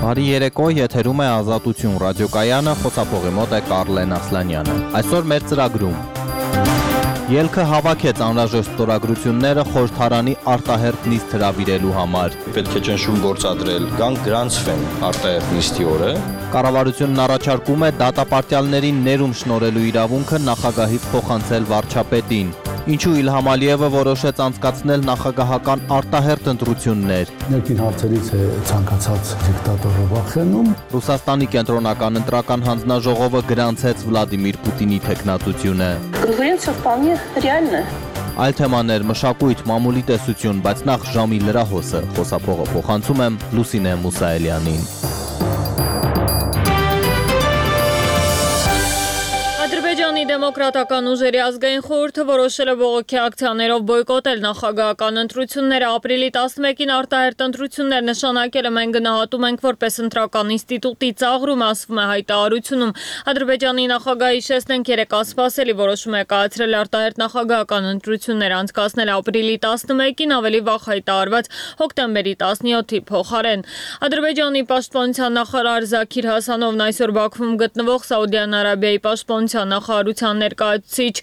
Բարի երեկո, եթերում է Ազատություն ռադիոկայանը, խոսափողի մոտ է Կարլեն Ասլանյանը։ Այսօր մեր ծրագրում ելքը հավաքեց անհրաժեշտ ստորագրությունները խորհրդարանի արտահերթ նիստ հրավիրելու համար։ Պետք է ճնշում գործադրել, կան գրանցվեն արտահերթ նիստի օրը։ Կառավարությունն առաջարկում է դատապարտյալներին ներում շնորհելու իրավունքը նախագահից փոխանցել վարչապետին։ Ինչու Իլհամ Ալիևը որոշեց անցկացնել նախագահական արտահերթ ընտրություններ։ Ներքին հարցերից է ցանկացած դիկտատորը վախենում։ Ռուսաստանի կենտրոնական ընտրական հանձնաժողովը գրանցեց Վլադիմիր Պուտինի թեկնածությունը։ Конкуренция вполне реальна. Այլ թեմաներ, մշակույթ, մամուլի տեսություն, բայց նախ ժամի լրահոսը, խոսափողը փոխանցում եմ Լուսինե Մուսայելյանին։ Ադրբեջանի դեմոկրատական ուժերի ազգային խորհուրդը որոշել է բողոքի ակցիաներով բոյկոտել նախագահական ընտրությունները։ Ապրիլի 11-ին արտահերթ ընտրություններ նշանակելը մենք գնահատում ենք որպես ընտրական ինստիտուտի ծաղրում, ասվում է հայտարարությունում։ Ադրբեջանի նախագահի հիշեցնենք երեկ անսպասելի որոշում է կայացրել արտահերթ նախագահական ընտրություններ անցկացնել ապրիլի 11-ին ավելի վաղ հայտարարված հոկտեմբերի 17-ի փոխարեն։ Ադրբեջանի պաշտպանության նախարար Զաքիր Հասանովն այսօր Բաքվում գտնվող Սաուդյան Արաբիայի պաշտպանության նախարարության ներկայացուցիչ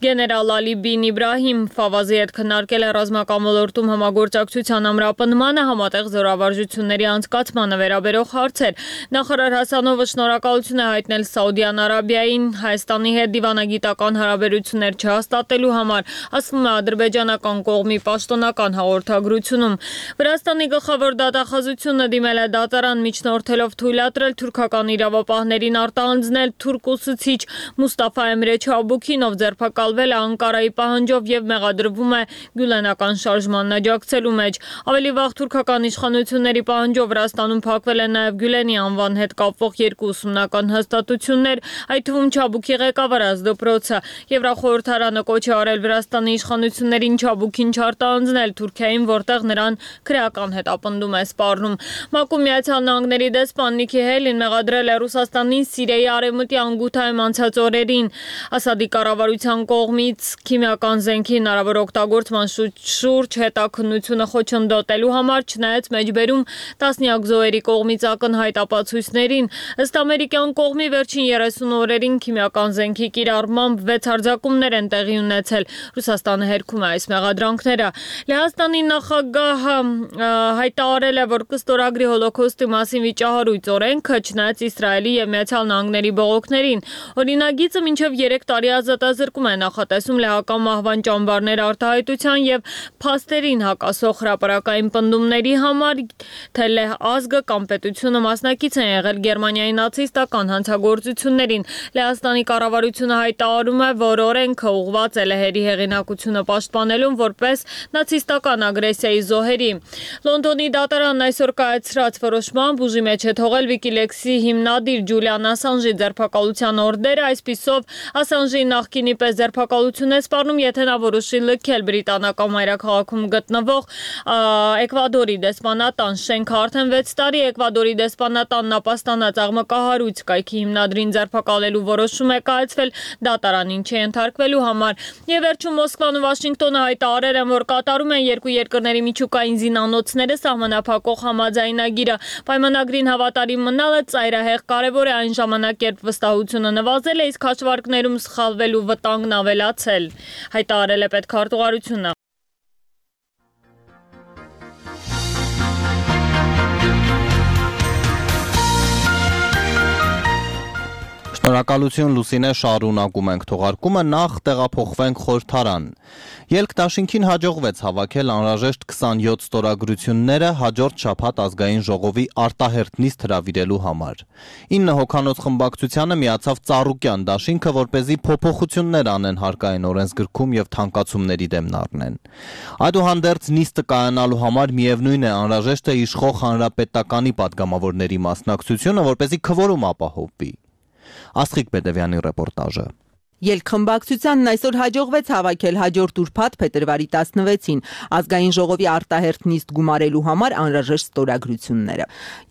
գեներալ Ալի բին Իբրահիմ Ֆավազի հետ քննարկել է ռազմական ոլորտում համագործակցության ամրապնդմանը, համատեղ զորավարժությունների անցկացմանը վերաբերող հարցեր։ Նախարար Հասանովը շնորհակալություն է հայտնել Սաուդյան Արաբիային Հայաստանի հետ դիվանագիտական հարաբերություններ չհաստատելու համար, ասվում է ադրբեջանական կողմի պաշտոնական հաղորդագրությունում։ Վրաստանի գլխավոր դատախազությունը դիմել է դատարան միջնորդելով թույլատրել թուրքական իրավապահներին արտահանձնել թուրք ուսուցիչ Մուստաֆա Էմրե Չաբուքին, ով ձերբակալվել է Անկարայի պահանջով եւ մեղադրվում է գյուլենական շարժմանն աջակցելու մեջ։ Ավելի վաղ թուրքական իշխանությունների պահանջով Վրաստանում փակվել են նաեւ Գյուլենի անվան հետ կապվող երկու ուսումնական հաստատություններ, այդ թվում Չաբուքի ղեկավար դպրոցը։ Եվրախորհրդարանը կոչ է արել Վրաստանի իշխանություններին Չաբուքին չարտահանձնել Թուրքիային, որտեղ նրան քրեական հետապնդում է սպառնում։ ՄԱԿ-ում Միացյալ Նահանգների դեսպան Նիքի Հեյլին մեղադրել է Ռուսաստանին Սիրիայի արևմտյան Ղութայում անցած օրերին Ասադի կառավարության կողմից քիմիական զենքի հնարավոր օգտագործման շուրջ հետաքննությունը խոչընդոտելու համար, չնայած մեջբերում տասնյակ զոհերի կողմից ակնհայտ ապացույցներին։ Ըստ ամերիկյան կողմի վերջին 30 օրերին քիմիական զենքի կիրառմամբ 6 հարձակումներ են տեղի ունեցել։ Ռուսաստանը հերքում է այս մեղադրանքները։ Լեհաստանի նախագահը հայտարարել է, որ կստորագրի հոլոքոստի մասին վիճահարույց օրենքը, չնայած Իսրայելի եւ Միացյալ Նահանգների բողոքներին։ Օրինագիծը մինչև 3 տարի ազատազրկում է նախատեսում լեհական մահվան ճամբարներ արտահայտության եւ փաստերին հակասող հրապարակային պնդումների համար, թե լեհ ազգը կամ պետությունը մասնակից են եղել Գերմանիայի նացիստական հանցագործություններին։ Լեհաստանի կառավարությունը հայտարարում է, որ օրենքը ուղղված է լեհերի հեղինակությունը պաշտպանելուն որպես նացիստական ագրեսիայի զոհերի։ Լոնդոնի դատարանն այսօր կայացրած որոշմամբ ուժի մեջ է թողել Wikileaks-ի հիմնադիր Ջուլիան Ասանժի ձերբակալության օրդերը, այսպիսով Ասանժի նախկինի պես ձերբակալություն է սպառնում, եթե նա որոշի լքել բրիտանական մայրաքաղաքում գտնվող Էկվադորի դեսպանատան շենքը։ Արդեն 6 տարի Էկվադորի դեսպանատանն ապաստանած աղմկահարույց կայքի հիմնադրին ձերբակալելու որոշում է կայացվել դատարանին չենթարկվելու համար։ Եվ վերջում Մոսկվան ու Վաշինգտոնը հայտարարել են, որ կատարում են երկու երկրների միջուկային զինանոցները սահմանափակող համաձայնագիրը։ Պայմանագրին հավատարիմ մնալը ծայրահեղ կարևոր է այն ժամանակ, երբ վստահությունը նվազել է, իսկ հաշվարկներում սխալվելու վտանգն ավելացել, հայտարարել է պետքարտուղարությունը։ Շնորհակալություն Լուսինե, շարունակում ենք թողարկումը, նախ տեղափոխվենք խորհրդարան։ Ելք դաշինքին հաջողվեց հավաքել անհրաժեշտ 27 ստորագրությունները հաջորդ շաբաթ ազգային ժողովի արտահերթ նիստ հրավիրելու համար։ 9 հոգանոց խմբակցությանը միացավ Ծառուկյան դաշինքը, որպեսզի փոփոխություններ անեն հարկային օրենսգրքում եւ թանկացումների դեմ առնեն։ Այդուհանդերձ նիստը կայանալու համար միևնույն է անհրաժեշտ է իշխող հանրապետականի падգամավորների մասնակցությունը, որպեսզի քվորում ապահովվի։ Աստղիկ Բեդևյանի ռեպորտաժը։ Ելքխմբակցությանն այսօր հաջողվեց հավաքել հաջորդ ուրբաթ փետրվարի 16-ին ազգային ժողովի արտահերթ նիստ գումարելու համար անհրաժեշտ ստորագրությունները։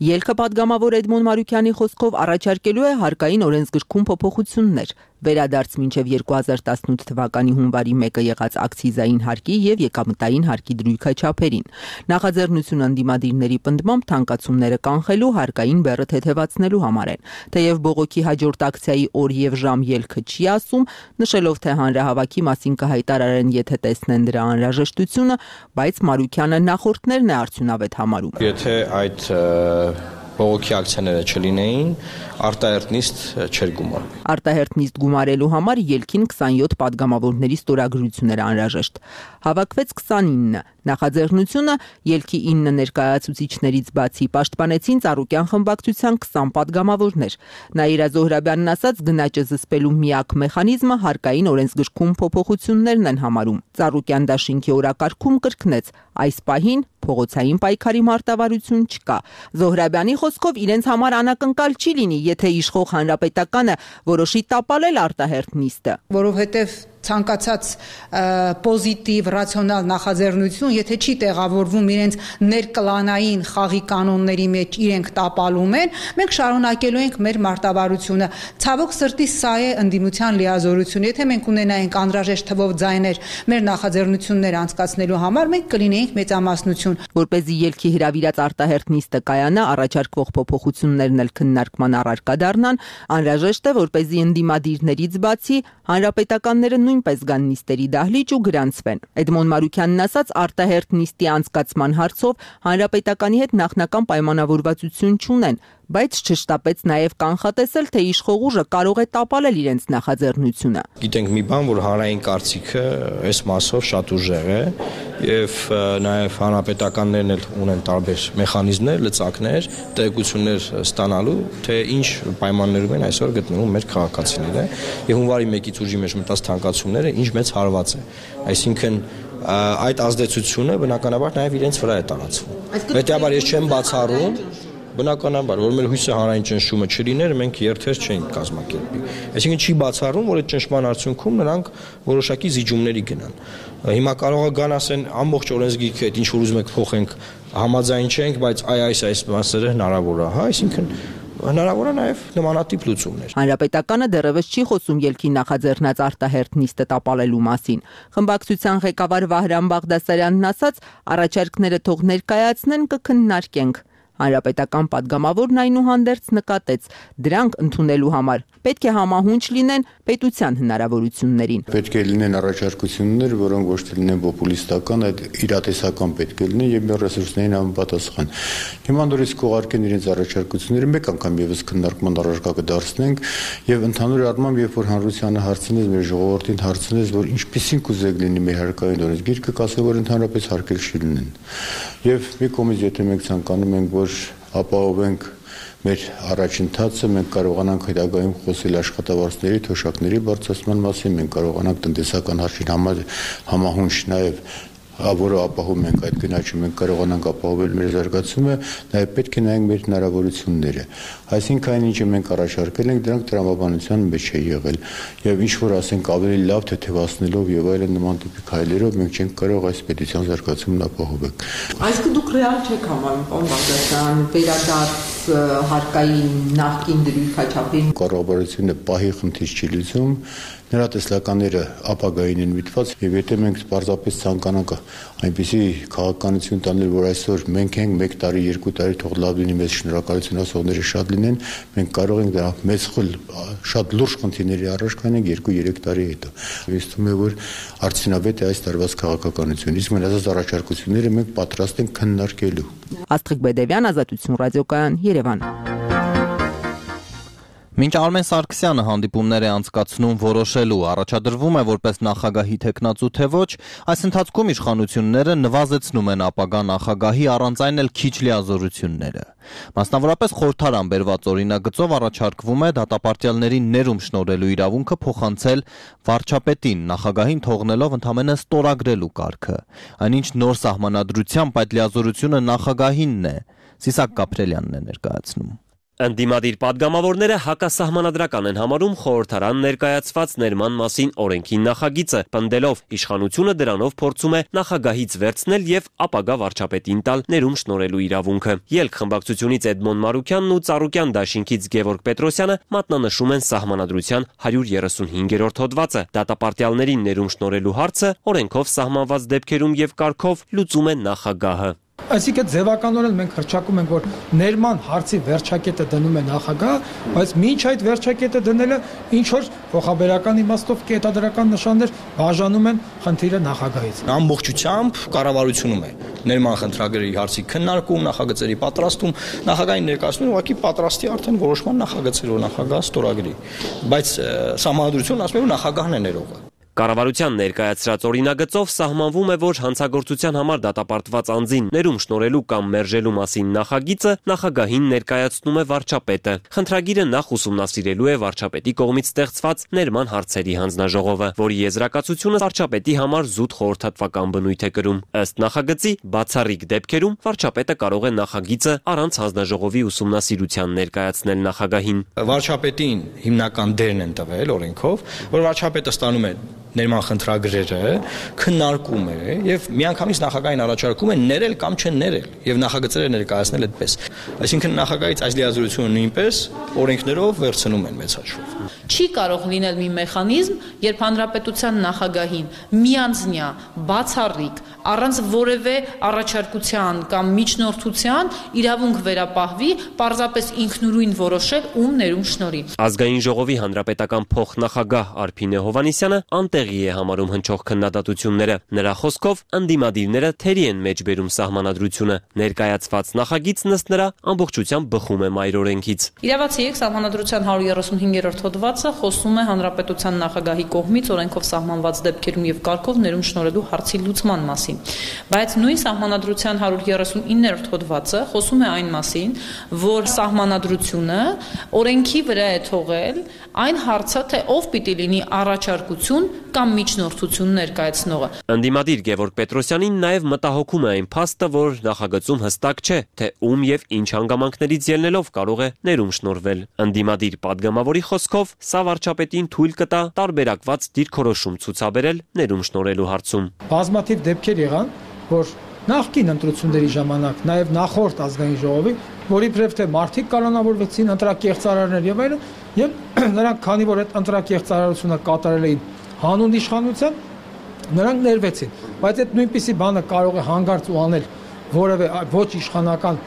Ելքը падգամավոր Էդմոն Մարուկյանի խոսքով առաջարկելու է հարկային օրենսգրքում փոփոխություններ։ վերադարձ մինչև 2018 թվականի հունվարի 1-ը եղած ակցիզային հարկի եւ եկամտային հարկի դրույքա չափերին։ Նախաձեռնությունը ընդդիմադիրների պնդմամբ թանկացումները կանխելու հարկային բեռը թեթևացնելու համար են։ Թեև բողոքի հաջորդ ակցիայի օր եւ ժամ ելքը չի ասում, նշելով թե հանրահավաքի մասին կհայտարարեն, եթե տեսնեն դրա անհրաժեշտությունը, բայց Մարուկյանը նախորդներն է արդյունավետ համարում։ Եթե այդ բողոքի ակցիաները չլինեին, արտահերթ նիստ չէր գումարվի։ Արտահերթ նիստ գումարելու համար ելքին 27 падգամավորների ստորագրություն էր անհրաժեշտ։ Հավաքվեց 29։ Նախաձեռնությունը ելքի 9 ներկայացուցիչներից բացի պաշտպանեցին Ծառուկյան խմբակցության 20 падգամավորներ։ Նաիրա Զոհրաբյանն ասաց, գնաճը զսպելու միակ մեխանիզմը հարկային օրենսգրքում փոփոխություններն են համարում։ Ծառուկյան դաշինքի օրակարգում կրկնեց, այս պահին փողոցային պայքարի մարտավարություն չկա։ Զոհրաբյանի խոսքով իրենց համար անակնկալ չի լինի, եթե իշխող հանրապետականը որոշի տապալել արտահերթ նիստը, որովհետև ցանկացած պոզիտիվ, ռացիոնալ նախաձեռնություն, եթե չի տեղավորվում իրենց ներկլանային խաղի կանոնների մեջ իրենք տապալում են, մենք շարունակելու ենք մեր մարտավարությունը։ Ցավոք սրտի սա է ընդդիմության լիազորությունը։ Եթե մենք ունենայինք անհրաժեշտ թվով ձայներ մեր նախաձեռնությունները անցկացնելու համար, մենք կլինեինք մեծամասնություն։ Որպեսզի ելքի հրավիրած արտահերթ նիստը կայանա, առաջարկվող փոփոխություններն էլ քննարկման առարկա դառնան, անհրաժեշտ է, որպեսզի ընդդիմադիրներից բացի հանրապետականները նույնպես գան նիստերի դահլիճ ու գրանցվեն։ Էդմոն Մարուկյանն ասաց, արտահերթ նիստի անցկացման հարցով հանրապետականի հետ նախնական պայմանավորվածություն չունեն, բայց չշտապեց նաև կանխատեսել, թե իշխող ուժը կարող է տապալել իրենց նախաձեռնությունը։ Գիտենք մի բան, որ հանրային կարծիքը այս մասով շատ ուժեղ է եւ նաև հանրապետականներն էլ ունեն տարբեր մեխանիզմներ, լծակներ, տեղեկություններ ստանալու, թե ինչ պայմաններում են այսօր գտնվում մեր քաղաքացիները եւ հունվարի 1-ից ուժի մեջ մտած թանկացումները ինչ մեծ հարված է։ Այսինքն այդ ազդեցությունը բնականաբար նաև իրենց վրա է տարածվում։ Հետեւաբար ես չեմ բացառում, բնականաբար, որ մեր հույսը հանրային ճնշումը չլիներ, մենք երթեր չենք կազմակերպի։ Այսինքն չի բացառում, որ այդ ճնշման արդյունքում նրանք որոշակի զիջումների գնան։ Հիմա կարող է գան ասեն ամբողջ օրենսգիրքը այդ ինչ որ ուզում եք փոխենք, համաձայն չենք, բայց այս մասերը հնարավոր է, հա, այսինքն հնարավոր է նաև նմանատիպ լուծումներ։ Հանրապետականը դեռևս չի խոսում ելքի նախաձեռնած արտահերթ նիստը տապալելու մասին։ Խմբակցության ղեկավար Վահրամ Բաղդասարյանն ասաց, առաջարկները թող ներկայացնեն, կքննարկենք։ Հանրապետական падգամավորն այնուհանդերձ նկատեց, դրանք ընդունելու համար պետք է համահունչ լինեն պետության հնարավորություններին։ Պետք է լինեն առաջարկություններ, որոնք ոչ թե լինեն պոպուլիստական, այլ իրատեսական պետք է լինեն եւ մեր ռեսուրսներին համապատասխան։ Հիմա նորից կողարկեն իրենց առաջարկությունները, մեկ անգամ եւս քննարկման առարկա կդարձնենք եւ ընդհանուր առմամբ, երբ որ հանրությանը հարցնես, մեր ժողովրդին հարցնես, որ ինչպիսին կուզեք լինի մեր հարկային օրենսգիրքը, կասեն, որ ընդհանրապես հարկեր չլինեն։ Եվ մի կողմից, եթե մենք ցանկանում ենք, որ ապահովենք մեր առաջընթացը, մենք կարողանանք հետագայում խոսել աշխատավարձների, թոշակների բարձրացման մասին, մենք կարողանանք տնտեսական հարցին համահունչ նաև որը ապահովում ենք այդ գնաճը, մենք կարողանանք ապահովել մեր զարգացումը, նաև պետք է նայենք մեր հնարավորությունները։ Այսինքն այն ինչը մենք առաջարկել ենք, դրանք տրամաբանության մեջ է եղել, եւ ինչ որ ասենք ավելի լավ թեթևացնելով եւ այլն նման տիպի քայլերով մենք չենք կարող այս պետության զարգացումն ապահովել։ Այսինքն դուք ռեալ չեք համարում, պարոն Բաղդասարյան, վերադարձ հարկային նախկին դրույքաչափին։ Կառավարությունը պահի խնդիր չի լուծում, նրա տեսլականները ապագային են միտված եւ եթե մենք պարզապես ցանկանանք այնպիսի քաղաքականություն տանել, որ այսօր մենք ենք 1 տարի, 2 տարի թող լավ լինի, մեզ շնորհակալություն ասողները շատ լինեն, մենք կարող ենք դրա մեծ շատ լուրջ խնդիրների առաջ կանենք 2-3 տարի հետո։ Ես թվում է, որ արդյունավետ է այս տարվա քաղաքականությունը, իսկ մնացած առաջարկությունները մենք պատրաստ ենք քննարկելու։ Աստղիկ Բեդևյան, Ազատություն ռադիոկայան, Երևան։ Մինչ Արմեն Սարգսյանը հանդիպումներ է անցկացնում որոշելու, առաջադրվում է որպես նախագահի թեկնածու թե ոչ, այս ընթացքում իշխանությունները նվազեցնում են ապագա նախագահի առանց այն էլ քիչ լիազորությունները։ Մասնավորապես խորհրդարան բերված օրինագծով առաջարկվում է դատապարտյալներին ներում շնորհելու իրավունքը փոխանցել վարչապետին, նախագահին թողնելով ընդամենը ստորագրելու կարգը։ Այնինչ նոր սահմանադրությամբ այդ լիազորությունը նախագահինն է, Սիսակ Կապրելյանն է ներկայացնում։ Ընդդիմադիր падգամավորները հակասահմանադրական են համարում խորհրդարան ներկայացված ներման մասին օրենքի նախագիծը, պնդելով իշխանությունը դրանով փորձում է նախագահից վերցնել եւ ապագա վարչապետին տալ ներում շնորհելու իրավունքը։ Ելք խմբակցությունից Էդմոն Մարուկյանն ու Ծառուկյան դաշինքից Գևորգ Պետրոսյանը մատնանշում են Սահմանադրության 135-րդ հոդվածը։ Դատապարտյալներին ներում շնորհելու հարցը օրենքով սահմանված դեպքերում եւ կարգով լուծում է նախագահը։ Այսինքն ձևականորեն մենք հռչակում ենք, որ ներման հարցի վերջակետը դնում է նախագահ, բայց մինչ այդ վերջակետը դնելը ինչ որ փոխաբերական իմաստով կետադրական նշաններ բաժանում են խնդիրը նախագահից։ Ամբողջությամբ կառավարությունում է ներման խնդրագրերի հարցի քննարկում, նախագծերի պատրաստում, նախագահային ներկայացնում ուղղակի պատրաստի արդեն որոշման նախագծերով նախագահ ստորագրի, բայց Սահմանադրությունն ասում է, որ նախագահն է ներողը։ Կառավարության ներկայացրած օրինագծով սահմանվում է, որ հանցագործության համար դատապարտված անձին ներում շնորհելու կամ մերժելու մասին նախագիծը նախագահին ներկայացնում է վարչապետը։ Խնդրագիրը նախ ուսումնասիրելու է վարչապետի կողմից ստեղծված ներման հարցերի հանձնաժողովը, որի եզրակացությունը վարչապետի համար զուտ խորհրդատվական բնույթ է կրում։ Ըստ նախագծի, բացառիկ դեպքերում վարչապետը կարող է նախագիծը առանց հանձնաժողովի ուսումնասիրության ներկայացնել նախագահին։ Վարչապետին հիմնական դերն են տվել օրենքով, որ վարչապետը ստանում է ներման խնդրագրերը, քննարկում է եւ միանգամից նախագահին առաջարկում է ներել կամ չներել եւ նախագծերը ներկայացնել այդպես։ Այսինքն նախագահից այս լիազորությունը նույնպես օրենքներով վերցնում են մեծ հաշվով։ Չի կարող լինել մի մեխանիզմ, երբ հանրապետության նախագահին միանձնյա, բացառիկ, առանց որևէ առաջարկության կամ միջնորդության իրավունք վերապահվի, պարզապես ինքնուրույն որոշել ում ներում շնորհի։ Ազգային ժողովի հանրապետական փոխնախագահ Արփինե Հովհաննիսյանը անտեղի է համարում հնչող քննադատությունները։ Նրա խոսքով ընդդիմադիրները թերի են մեջբերում Սահմանադրությունը։ Ներկայացված նախագիծն ըստ նրա ամբողջությամբ բխում է մայր օրենքից։ Իրավացի եք Սահմանադրության 135-րդ հոդվածը խոսում է հանրապետության նախագահի կողմից օրենքով սահմանված դեպքերում եւ կարգով ներում շնորհելու հարցի լուծման մասին։ Բայց նույն Սահմանադրության 139-րդ հոդվածը խոսում է այն մասին, որ Սահմանադրությունը օրենքի վրա է թողել այն հարցը, թե ով պիտի լինի առաջարկություն կամ միջնորդություն ներկայացնողը։ Ընդդիմադիր Գևորգ Պետրոսյանին նաև մտահոգում է այն փաստը, որ նախագծում հստակ չէ, թե ում եւ ինչ հանգամանքներից ելնելով կարող է ներում շնորհվել։ Ընդդիմադիր падգամավորի խոսքով սա վարչապետին թույլ կտա տարբերակված դիրքորոշում ցուցաբերել ներում շնորհելու հարցում։ Բազմաթիվ դեպքեր եղան, որ նախկին ընտրությունների ժամանակ նաև նախորդ ազգային ժողովի, որի բրև թե մարդիկ կանոնավորվեցին ընտրակեղծարարներ եւ այլն, եւ նրանք քանի որ այդ ընտրակեղծարարությունը կատարել էին հանուն իշխանության, նրանք ներվեցին, բայց այդ նույնպիսի բանը կարող է հանգարց ու անել որևէ ոչ իշխանական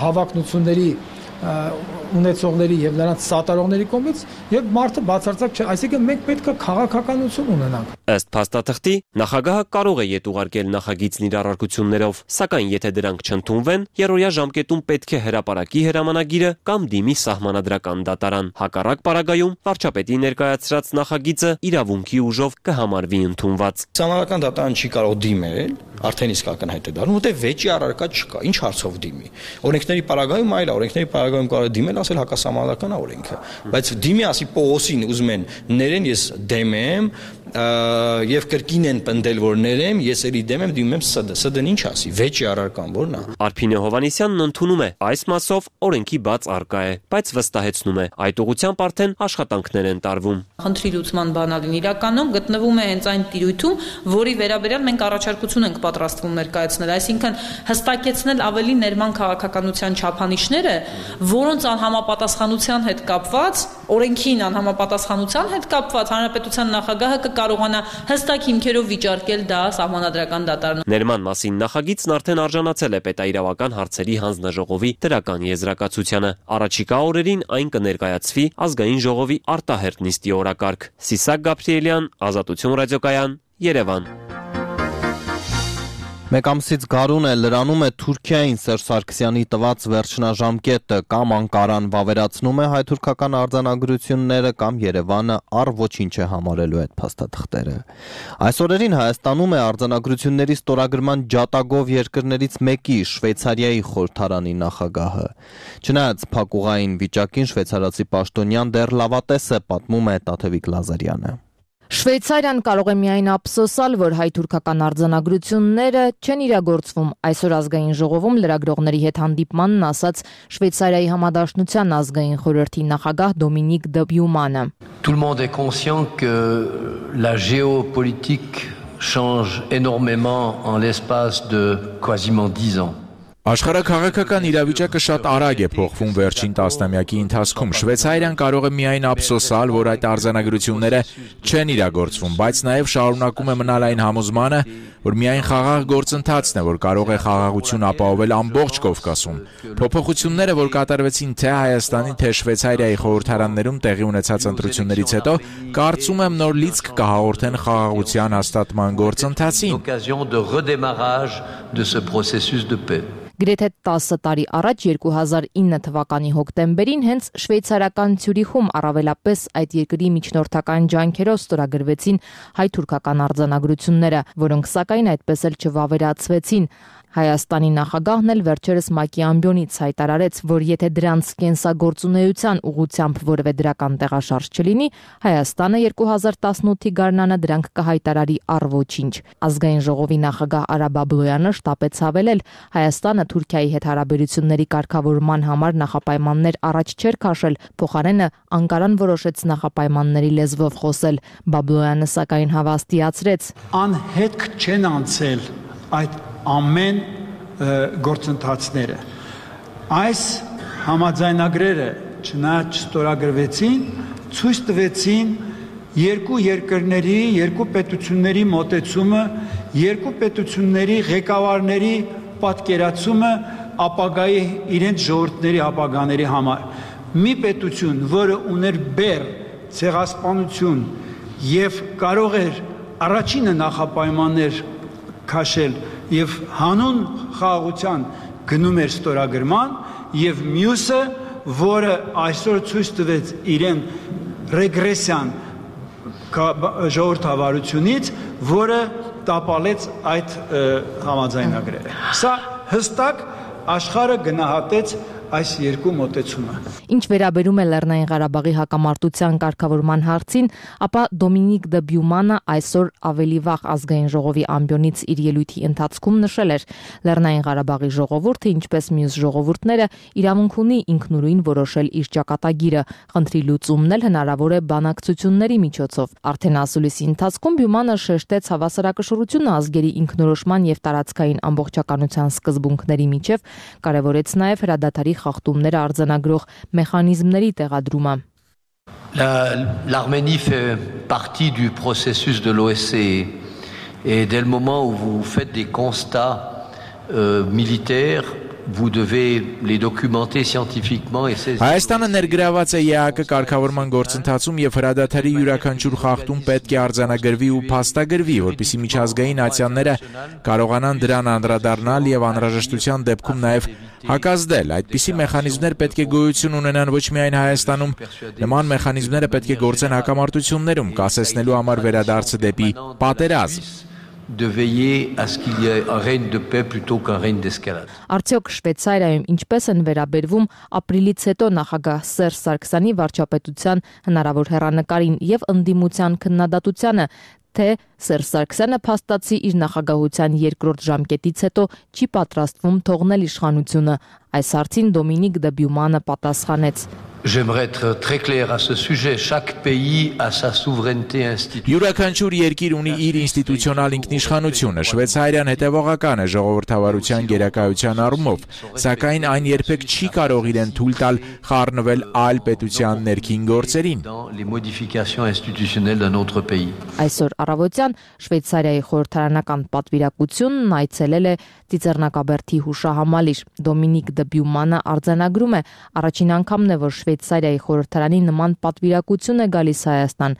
հավակնությունների ունեցողների եւ նրանց սատարողների կողմից եւ մարդը բացարձակ չէ, այսինքն մենք պետք է քաղաքականություն ունենանք։ Ըստ փաստաթղթի նախագահը կարող է ետ ուղարկել նախագիծն իր առարկություններով, սակայն եթե դրանք չընդունվեն, երրորդյա ժամկետում պետք է հրապարակի հրամանագիրը կամ դիմի Սահմանադրական դատարան։ Հակառակ պարագայում վարչապետի ներկայացրած նախագիծը իրավունքի ուժով կհամարվի ընդունված։ Սահմանադրական դատարան չի կարող դիմել, արդեն իսկ ակնհայտ է դառնում, որտեղ վեճի առարկա չկա, ինչ հարցով դիմի։ Օրենքների պարագայում այլ է, օրենքների պարագայում կարող է դիմել, ասել հակասահմանադրական օրենքը, բայց դիմի ասի Պողոսին ուզում են ներեն, ես դեմ եմ եւ կրկին են պնդել, որ ներեմ, ես էլի դեմ եմ, դիմում եմ ՍԴ-ն ինչ ասի, վեճի առարկան որն է։ Արփինե Հովհաննիսյանն ընդունում է այս մասով օրենքի բաց առկա է, բայց վստահեցնում է այդ ուղղությամբ արդեն աշխատանքներ են տարվում։ Խնդրի լուծման բանալին իրականում գտնվում է հենց այն տիրույթում, որի վերաբերյալ մենք առաջարկություն ենք պատրաստվում ներկայացնել, այսինքն հստակեցնել ավելի ներման քաղաքականության չափանիշները, որոնց անհամապատասխանության հետ կապված, օրենքին անհամապատասխանության հետ կապված հանրապետության նախագահը կկարողանա հստակ հիմքերով վիճարկել դա Սահմանադրական դատարանում։ Ներման մասին նախագիծն արդեն արժանացել է պետաիրավական հարցերի հանձնաժողովի դրական եզրակացությանը։ Առաջիկա օրերին այն կներկայացվի ազգային ժողովի արտահերթ նիստի օրակարգ։ Սիսակ Գաբրիելյան, Ազատություն ռադիոկայան, Երևան։ Մեկ ամսից գարուն է լրանում է Թուրքիային Սերժ Սարգսյանի տված վերջնաժամկետը, կամ Անկարան վավերացնում է հայ-թուրքական արձանագրությունները, կամ Երևանը առ ոչինչ է համարելու այդ փաստաթղթերը։ Այս օրերին Հայաստանում է արձանագրությունների ստորագրման ջատագով երկրներից մեկի Շվեյցարիայի խորհրդարանի նախագահը։ Չնայած փակուղային վիճակին շվեյցարացի պաշտոնյան դեռ լավատես է, պատմում է Տաթևիկ Լազարյանը։ Շվեյցարիան կարող է միայն ափսոսալ, որ հայ-թուրքական արձանագրությունները չեն իրագործվում։ Այսօր ազգային ժողովում լրագրողների հետ հանդիպմանն ասաց Շվեյցարիայի համադաշնության ազգային խորհրդի նախագահ Դոմինիկ Դբյումանը։ Tout le monde est conscient que la géopolitique change énormément en l'espace de quasiment 10 ans. Աշխարհաքաղաքական իրավիճակը շատ արագ է փոխվում վերջին տասնամյակի ընթացքում։ Շվեյցարիան կարող է միայն ափսոսալ, որ այդ արձանագրությունները չեն իրագործվում, բայց նաև շարունակում է մնալ այն համոզմանը, որ միայն խաղաղ գործընթացն է, որ կարող է խաղաղություն ապահովել ամբողջ Կովկասում։ Փոփոխությունները, որ կատարվեցին թե Հայաստանի, թե Շվեյցարիայի խորհրդարաններում տեղի ունեցած ընտրություններից հետո, կարծում եմ նոր լիցք կհաղորդեն խաղաղության հաստատման գործընթացին։ Գրեթե 10 տարի առաջ 2009 թվականի հոկտեմբերին հենց շվեյցարական Ցյուրիխում առավելապես այդ երկրի միջնորդական ջանքերով ստորագրվեցին հայ-թուրքական արձանագրությունները, որոնք սակայն այդպես էլ չվավերացվեցին։ Հայաստանի նախագահն էլ վերջերս ՄԱԿ-ի ամբիոնից հայտարարեց, որ եթե դրանց կենսագործունեության ուղղությամբ որևէ դրական տեղաշարժ չլինի, Հայաստանը 2018-ի գարնանը դրանք կհայտարարի առ ոչինչ։ Ազգային ժողովի նախագահ Արա Բաբլոյանը շտապեց հավելել, Հայաստանը Թուրքիայի հետ հարաբերությունների կարգավորման համար նախապայմաններ առաջ չէր քաշել, փոխարենը Անկարան որոշեց նախապայմանների լեզվով խոսել։ Բաբլոյանը սակայն հավաստիացրեց. Անհետք չեն անցել այդ ամեն գործընթացները։ Այս համաձայնագրերը չնայած չստորագրվեցին, ցույց տվեցին երկու երկրների, երկու պետությունների մոտեցումը, երկու պետությունների ղեկավարների պատկերացումը ապագայի իրենց ժողովուրդների ապագաների համար։ Մի պետություն, որը ուներ բեռ, ցեղասպանություն եւ կարող էր առաջինը նախապայմաններ քաշել եւ հանուն խաղաղության գնում էր ստորագրման եւ մյուսը, որը այսօր ցույց տվեց իրեն ռեգրեսիան ժողովրդավարությունից, որը տապալեց այդ համաձայնագրերը։ Սա հստակ աշխարհը գնահատեց այս երկու մոտեցումը։ Ինչ վերաբերում է Լեռնային Ղարաբաղի հակամարտության կարգավորման հարցին, ապա Դոմինիկ Դբյումանը այսօր ավելի վաղ ազգային ժողովի ամբիոնից իր ելույթի ընթացքում նշել էր. Լեռնային Ղարաբաղի ժողովուրդը, ինչպես մյուս ժողովուրդները, իրավունք ունի ինքնուրույն որոշել իր ճակատագիրը, խնդրի լուծումն էլ հնարավոր է բանակցությունների միջոցով։ Արդեն ասուլիսի ընթացքում Բյումանը շեշտեց հավասարակշռությունը ազգերի ինքնորոշման եւ տարածքային ամբողջականության սկզբունքների միջև, կարևորեց նաեւ հրադադարի խախտումները արձանագրող մեխանիզմների տեղադրումը։ L'Arménie fait partie du processus de l'OSCE et dès le moment où vous faites des constats militaires, vous devez les documenter scientifiquement et saisir. Հայաստանը ներգրաված է ԵԱԿ կարգավորման գործընթացում եւ հրադադարի յուրաքանչյուր խախտում պետք է արձանագրվի ու փաստագրվի, որպեսզի միջազգային ացիաները կարողանան դրան անդրադառնալ եւ անհրաժեշտության դեպքում նաեւ հակազդել։ Այդպիսի մեխանիզմներ պետք է գոյություն ունենան ոչ միայն Հայաստանում, նման մեխանիզմները պետք է գործեն հակամարտություններում, կասեցնելու համար վերադարձը դեպի պատերազմ։ De veiller à ce qu'il y ait un règne de paix plutôt qu'un règne d'escalade. Արդյոք Շվեյցարիայում ինչպես են վերաբերվում ապրիլից հետո նախագահ Սերժ Սարգսյանի վարչապետության հնարավոր հեռանկարին եւ ընդդիմության քննադատությանը, թե Սերժ Սարգսյանը փաստացի իր նախագահության երկրորդ ժամկետից հետո չի պատրաստվում թողնել իշխանությունը։ Այս հարցին Դոմինիկ Դբյումանը պատասխանեց. J'aimerais être très clair à ce sujet. Chaque pays a sa souveraineté institutionnelle. Յուրաքանչյուր երկիր ունի իր ինստիտուցիոնալ ինքնիշխանությունը։ Շվեյցարիան հետևողական է ժողովրդավարության գերակայության առումով, սակայն այն երբեք չի կարող իրեն թույլ տալ խառնվել այլ պետության ներքին գործերին։ Les modifications institutionnelles d'un autre pays. Այսօր առավոտյան Շվեյցարիայի խորհրդարանական պատվիրակությունն այցելել է Ծիծեռնակաբերդի հուշահամալիր։ Դոմինիկ Դբյումանը արձանագրում է, առաջին անգամն է, որ Շվեյցարիայի խորհրդարանի նման պատվիրակություն է գալիս Հայաստան։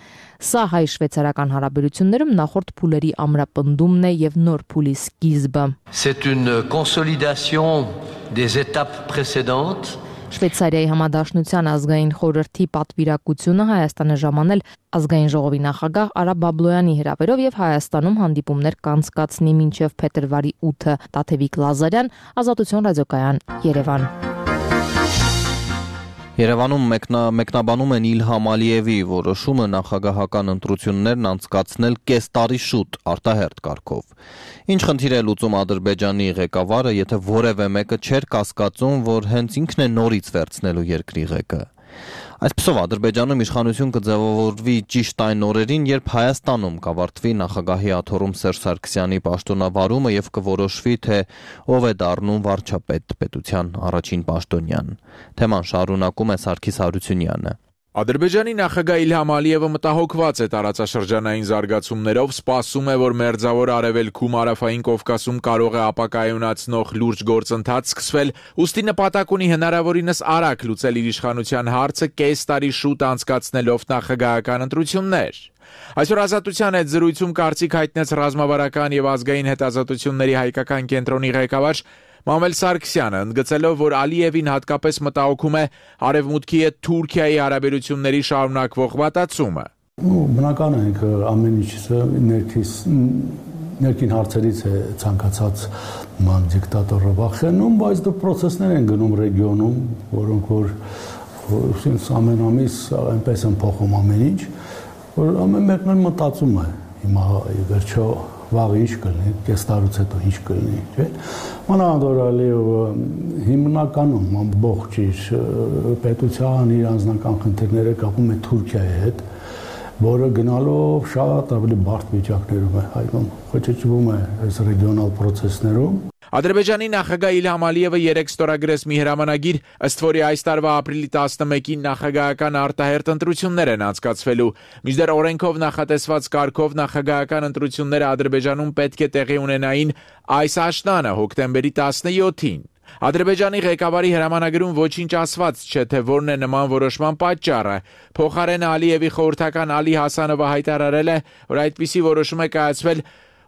Սա հայ-շվեյցարական հարաբերություններում նախորդ փուլերի ամրապնդումն է եւ նոր փուլի սկիզբը։ C'est une consolidation des étapes précédentes. Շվեյցարիայի համադաշնության ազգային խորհրդի պատվիրակությունը Հայաստանը ժամանել ազգային ժողովի նախագահ Արա Բաբլոյանի հրավերով եւ Հայաստանում հանդիպումներ կանցկացնի մինչեւ փետրվարի 8-ը։ Տաթևիկ Լազարյան, Ազատություն ռադիոկայան, Երևան։ Երևանում մեկնաբանում են Իլհամ Ալիևի որոշումը նախագահական ընտրություններն անցկացնել կես տարի շուտ արտահերթ կարգով։ Ինչ խնդիր է լուծում Ադրբեջանի ղեկավարը, եթե որևէ մեկը չէր կասկածում, որ հենց ինքն է նորից վերցնելու երկրի ղեկը։ Այսպիսով Ադրբեջանում իշխանություն կձևավորվի ճիշտ այն օրերին, երբ Հայաստանում կավարտվի նախագահի աթոռում Սերժ Սարգսյանի պաշտոնավարումը եւ կորոշվի, թե ով է դառնում վարչապետ պետության առաջին պաշտոնյան։ Թեման շարունակում է Սարգիս Հարությունյանը։ Ադրբեջանի նախագահ Իլհամ Ալիևը մտահոգված է տարածաշրջանային զարգացումներով, սպասում է, որ Մերձավոր Արևելքում Հարավային Կովկասում կարող է ապակայունացնող լուրջ գործընթաց սկսվել, ուստի նպատակ ունի հնարավորինս արագ լուծել իր իշխանության հարցը կես տարի շուտ անցկացնելով նախագահական ընտրություններ։ Այսօր Ազատության հետ զրույցում կարծիք հայտնեց ռազմավարական եւ ազգային հետազոտությունների հայկական կենտրոնի ղեկավար Մամել Սարգսյանը, ընդգծելով, որ Ալիևին հատկապես մտահոգում է Արևմուտքի հետ Թուրքիայի հարաբերությունների շարունակվող վատացումը։ Բնական է, ամեն ինչը ներքին հարցերից է ցանկացած ման դիկտատորը վախենում, բայց դա process-ներ են գնում ռեգիոնում, որոնք որ ամեն ամիս այնպես են փոխում ամեն ինչ, որ ամեն մեկն մտածում է հիմա վերջո վաղը ինչ կլինի, կես տարուց հետո ինչ կլինի, չէ՞։ Մանավանդ Ալիևը հիմնականում ամբողջ իր պետության իր անձնական խնդիրները կապում է Թուրքիայի հետ, որը գնալով շատ ավելի բարդ վիճակներում է հայտնվում, խոչեչվում է այս ռեգիոնալ process-ներում։ Ադրբեջանի նախագահ Իլհամ Ալիևը երեկ ստորագրեց մի հրամանագիր, ըստ որի այս տարվա ապրիլի 11-ին նախագահական արտահերթ ընտրություններ են անցկացվելու։ Մինչդեռ օրենքով նախատեսված կարգով նախագահական ընտրությունները Ադրբեջանում պետք է տեղի ունենային այս աշնանը, հոկտեմբերի 17-ին։ Ադրբեջանի ղեկավարի հրամանագրում ոչինչ ասված չէ, թե որն է նման որոշման պատճառը։ Փոխարենը Ալիևի խորհրդական Ալի Հասանովը հայտարարել է, որ այդպիսի որոշում է կայացվել,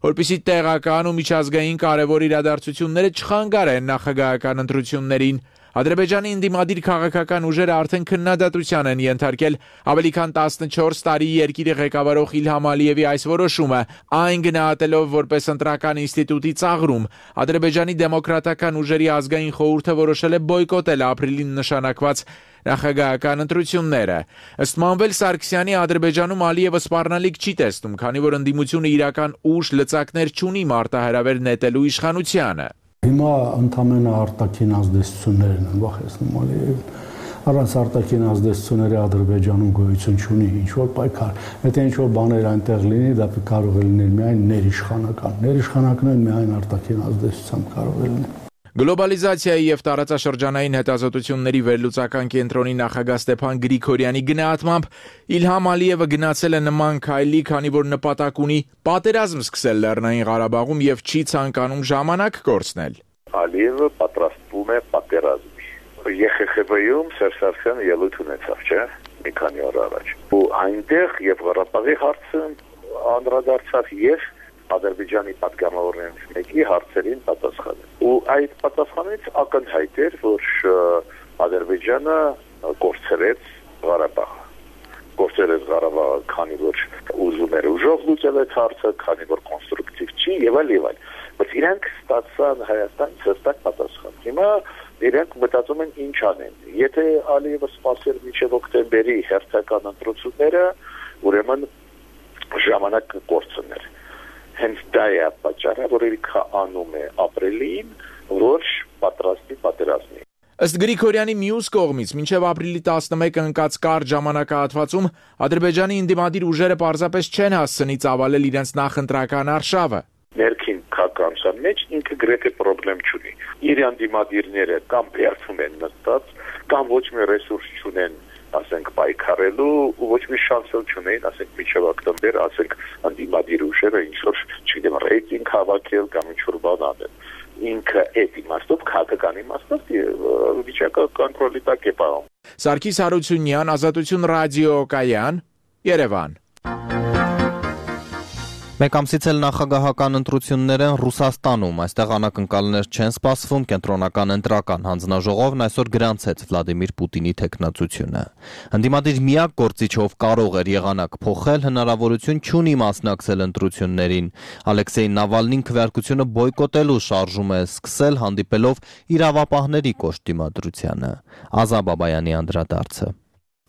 որպեսզի տեղական ու միջազգային կարևոր իրադարձությունները չխանգարեն նախագահական ընտրություններին։ Ադրբեջանի ընդդիմադիր քաղաքական ուժերը արդեն քննադատության են ենթարկել ավելի քան 14 տարի երկիրը ղեկավարող Իլհամ Ալիևի այս որոշումը, այն գնահատելով որպես ընտրական ինստիտուտի ծաղրում։ Ադրբեջանի դեմոկրատական ուժերի ազգային խորհուրդը որոշել է բոյկոտել ապրիլին նշանակված նախագահական ընտրությունները։ Ըստ Մամվել Սարգսյանի Ադրբեջանում Ալիևը սպառնալիք չի տեսնում, քանի որ ընդդիմությունը իրական ուժ լծակներ չունի մարտահրավեր նետելու իշխանությանը։ Հիմա ընդամենը արտաքին ազդեցություններն են վախեցնում Ալիևին։ Առանց արտաքին ազդեցությունների Ադրբեջանում գոյություն չունի ինչ-որ պայքար։ Եթե ինչ-որ բաներ այնտեղ լինի, դա կարող է լինել միայն ներիշխանական։ Ներիշխանականն միայն արտաքին ազդեցությամբ կարող է լինել։ Գլոբալիզացիայի եւ տարածաշրջանային հետազոտությունների վերլուծական կենտրոնի նախագահ Ստեփան Գրիգորյանի գնահատմամբ Իլհամ Ալիևը գնացել է նման քայլի, քանի որ նպատակ ունի պատերազմ սկսել Լեռնային Ղարաբաղում եւ չի ցանկանում ժամանակ կորցնել։ Ալիևը պատրաստվում է պատերազմի։ ԵԽԽՎ-ում Սերժ Սարգսյանը ելույթ ունեցավ, չէ՞, մի քանի օր առաջ։ Ու այնտեղ եւ Ղարաբաղի հարցը անդրադարձավ եւ Ադրբեջանի պատգամավորներից մեկի հարցերին պատասխանել։ Ու այդ պատասխանից ակնհայտ էր, որ Ադրբեջանը կորցրեց Ղարաբաղը, քանի որ ուզում էր ուժով լուծել այդ հարցը, քանի որ կոնստրուկտիվ չի եւ այլ եւ այլ։ Բայց իրանք ստացան Հայաստանից հստակ պատասխան։ Հիմա իրանք մտածում են ինչ անեն։ Եթե Ալիևը սպասեր մինչև հոկտեմբերի հերթական ընտրությունները, ուրեմն ժամանակ կկորցներ։ Հենց դա է պատճառը, որ ինքը անում է ապրիլին, որ պատրաստի պատերազմի։ Ըստ Գրիգորյանի մյուս կողմից, մինչև ապրիլի 11-ը ընկած կարճ ժամանակահատվածում Ադրբեջանի ընդդիմադիր ուժերը պարզապես չեն հասցնի ծավալել իրենց նախընտրական արշավը։ Ներքին քաղաքական մեջ ինքը գրեթե խնդրեմ չունի։ Իր ընդդիմադիրները կամ բերվում են նստած, կամ ոչ մի ռեսուրս չունեն, ասենք պայքարելու, ու ոչ մի շանս չունեն, ասենք մինչև օկտեմբեր, ասենք ընդդիմադիր ուժերը ինչ-որ, չգիտեմ, ռեյտինգ հավաքել կամ ինչ-որ բան անել։ Ինքը այդ իմաստով, քաղաքական իմաստով վիճակը կոնտրոլի տակ է պահում։ Սարգիս Հարությունյան, Ազատություն ռադիոկայան, Երևան։ Մեկ ամսից էլ նախագահական ընտրություններ են Ռուսաստանում, այստեղ անակնկալներ չեն սպասվում, կենտրոնական ընտրական հանձնաժողովն այսօր գրանցեց Վլադիմիր Պուտինի թեկնածությունը։ Ընդդիմադիր միակ գործիչով կարող էր եղանակ փոխել, հնարավորություն չունի մասնակցել ընտրություններին։ Ալեքսեյ Նավալնին քվեարկությունը բոյկոտելու շարժում է սկսել, հանդիպելով իրավապահների կոշտ դիմադրությանը։ Ազա Բաբայանի անդրադարձը։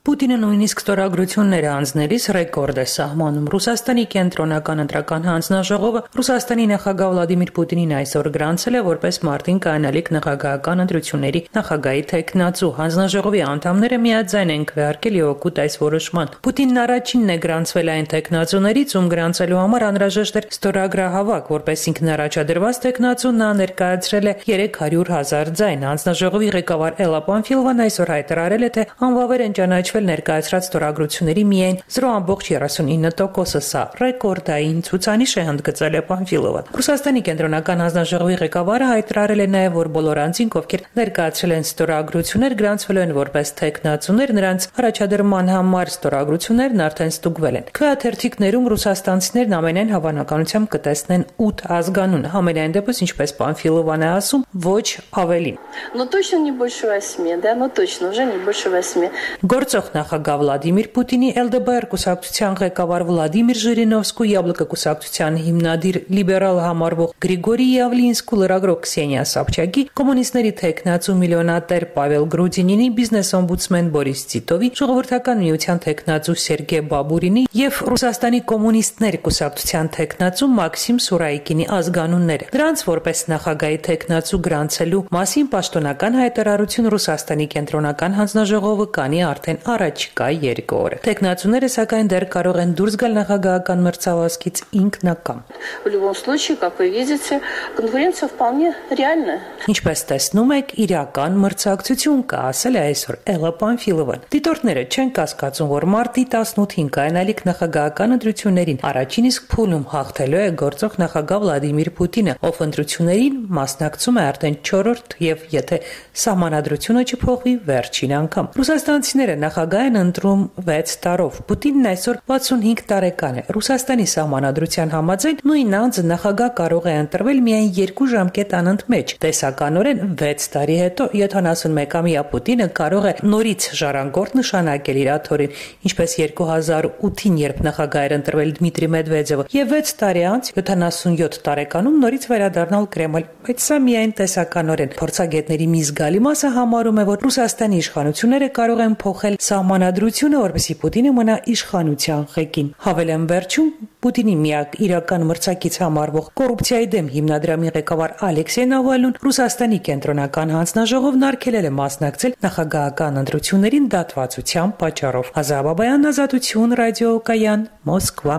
Պուտինը նույնիսկ ստորագրություններ անձնելիս ռեկորդ է սահմանում։ Ռուսաստանի կենտրոնական ընտրական հանձնաժողովը Ռուսաստանի նախագահ Վլադիմիր Պուտինին այսօր գրանցել է որպես մարտին կայանալիք նախագահական ընտրությունների նախագահի թեկնածու։ Հանձնաժողովի անդամները միաձայն են քվեարկել եւ օգուտ այս որոշման։ Պուտինն առաջինն է գրանցվել այն թեկնածուներից, ում գրանցելու համար անհրաժեշտ էր ստորագրահավաք, որպես ինքն առաջադրված թեկնածուն նա ներկայացրել է 300,000 ձայն։ Հանձնաժողովի ղեկավար Էլա Պանֆիլովան այսօր հայտարարել է, թե անվավեր են ճանաչվել ներկայացրած ստորագրությունների միայն 0.39%-ը, սա ռեկորդային ցուցանիշ է հնդգծել է Պանֆիլովը։ Ռուսաստանի կենտրոնական հանձնաժողովի ղեկավարը հայտարարել է նաև, որ բոլոր անձինք, ովքեր ներկայացրել են ստորագրություններ, գրանցվել են որպես թեկնածուներ, նրանց առաջադրման համար ստորագրություններն արդեն ստուգվել են։ Քվեաթերթիկներում ռուսաստանցիներն ամենայն հավանականությամբ կտեսնեն 8 ազգանուն, համենայն դեպս, ինչպես Պանֆիլովան է ասում, ոչ ավելին։ Но точно не больше 8, да, но точно уже не больше 8. Գործող նախագահ Վլադիմիր Պուտինի ԼԴԲ կուսակցության ղեկավար Վլադիմիր Ժիրինովսկու, Յաբլոկը կուսակցության հիմնադիր լիբերալ համարվող Գրիգորի Յավլինսկու, լրագրող Քսենիա Սաբչակի, կոմունիստների թեկնածու միլիոնատեր Պավել Գրուդինինի, բիզնես օմբուդսմեն Բորիս Տիտովի, ժողովրդական միության թեկնածու Սերգեյ Բաբուրինի եւ Ռուսաստանի կոմունիստների կուսակցության թեկնածու Մաքսիմ Սուրայկինի ազգանունները։ Դրանց որպես նախագահի թեկնածու գրանցելու մասին պաշտոնական հայտարարություն Ռուսաստանի կենտրոնական հանձնաժողովը կանի արդեն առաջիկա 2 օրը։ Տեխնացուները սակայն դեռ կարող են դուրս գալ նախագահական մրցավազքից ինքնակամ։ В любом случае, как вы видите, конкуренция вполне реальная. Ինչպես տեսնում եք, իրական մրցակցություն կա, ասել է այսօր Էլա Պանֆիլովան։ Դիտորդները չեն կասկածում, որ մարտի 18-ին կայանալիք նախագահական ընտրություններին առաջին իսկ փուլում հաղթելու է գործող նախագահ Վլադիմիր Պուտինը, ով ընտրություններին մասնակցում է արդեն 4-րդ եւ եթե սահմանադրությունը չփոխվի վերջին անգամ։ Ռուսաստանցիները նախագահ են ընտրում 6 տարով։ Պուտինն այսօր 65 տարեկան է։ Ռուսաստանի սահմանադրության համաձայն նույն անձը նախագահ կարող է ընտրվել միայն 2 ժամկետ անընդմեջ։ Տեսականորեն 6 տարի հետո 71-ամյա Պուտինը կարող է նորից ժառանգորդ նշանակել իր աթոռին, ինչպես 2008-ին, երբ նախագահ էր ընտրվել Դմիտրի Մեդվեդևը, եւ 6 տարի անց 77 տարեկանում նորից վերադառնալ Կրեմլ։ Բայց սա միայն տեսականորեն։ Փորձագետների մի զգալի մասը համարում է, որ Ռուսաստանի իշխանությունները կարող են փոխել սահմանադրությունը, որպեսզի Պուտինը մնա իշխանության ղեկին։ Հավելեմ վերջում, Պուտինի միակ իրական մրցակից համարվող կոռուպցիայի դեմ հիմնադրամի ղեկավար Ալեքսեյ Նավալնին Ռուսաստանի կենտրոնական հանձնաժողովն արգելել է մասնակցել նախագահական ընտրություններին դատվածության պատճառով։ Ազա Բաբայան, Ազատություն, ռադիոկայան, Մոսկվա։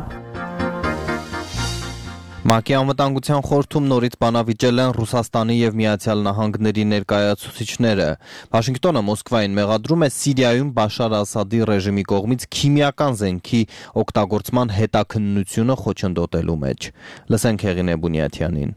ՄԱԿ-ի անվտանգության խորհրդում նորից բանավիճել են Ռուսաստանի եւ Միացյալ Նահանգների ներկայացուցիչները։ Վաշինգտոնը Մոսկվային մեղադրում է Սիրիայում Բաշար Ասադի ռեժիմի կողմից քիմիական զենքի օգտագործման հետաքննությունը խոչընդոտելու մեջ։ Լսենք Հեղինե Բունյաթյանին։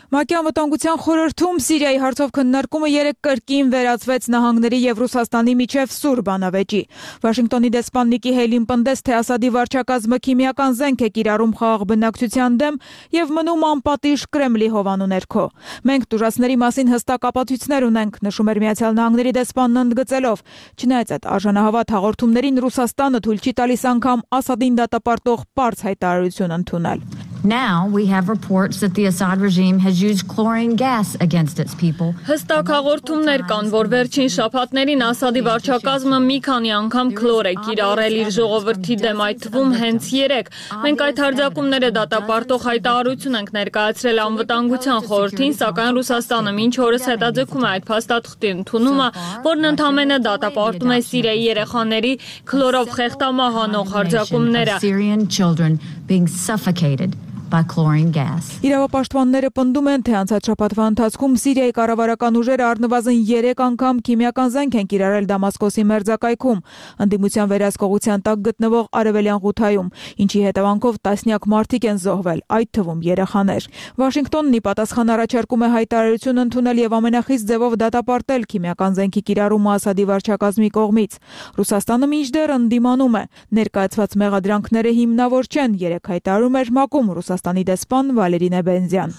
ՄԱԿ-ի անվտանգության խորհրդում Սիրիայի հարցով քննարկումը 3 կրկին վերածվեց նահանգների եւ Ռուսաստանի միջև սուր բանավեճի։ Վաշինգտոնի դեսպան Նիկի Հեյլին պնդեց, թե Ասադի վարչակազմը քիմիական զենք է կիրառում խաղաղ բնակչության դեմ եւ մնում անպատիժ Կրեմլի հովանու ներքո։ Մենք տուժածների մասին հստակ ապացույցներ ունենք, նշում էր Միացյալ Նահանգների դեսպանն ընդգծելով։ Չնայած այդ արժանահավատ հաղորդումներին Ռուսաստանը թույլ չի տալիս անգամ Ասադին դատապարտող պարզ հայտարարություն ընդունել։ Now we have reports that the Assad regime has used chlorine gas against its people. Հստակ հաղորդումներ կան, որ վերջին շաբաթներին Ասադի վարչակազմը մի քանի անգամ քլոր է կիրառել իր ժողովրդի դեմ, այդ թվում հենց 3։ Մենք այդ հարձակումները դատապարտող հայտարարություն ենք ներկայացրել անվտանգության խորհրդին, սակայն Ռուսաստանը մինչ օրս հետաձգում է այդ փաստաթղթի ընդունումը, որն ընդհանրապես դատապարտում է Սիրիայի երեխաների քլորով խեղդամահ անող հարձակումները։ Syrian children being suffocated by chlorine gas. Իրավապաշտպանները պնդում են, թե անցած շաբաթվա ընթացքում Սիրիայի կառավարական ուժերը առնվազն 3 անգամ քիմիական զենք են կիրառել Դամասկոսի մերձակայքում, ընդդիմության վերահսկողության տակ գտնվող Արևելյան Ղութայում, ինչի հետևանքով տասնյակ մարդիկ են զոհվել, այդ թվում երեխաներ։ Վաշինգտոնն ի պատասխան առաջարկում է հայտարարություն ընդունել եւ ամենախիստ ձևով դատապարտել քիմիական զենքի կիրառումը Ասադի վարչակազմի կողմից։ Ռուսաստանը մինչդեռ ընդդիմանում է։ Ներկայացված մեղադրանքները հիմնավոր չեն, 3 հայտարարում էր ՄԱԿ-ում Ռուսաստանի դեսպան Վալերի Նեբենզյան։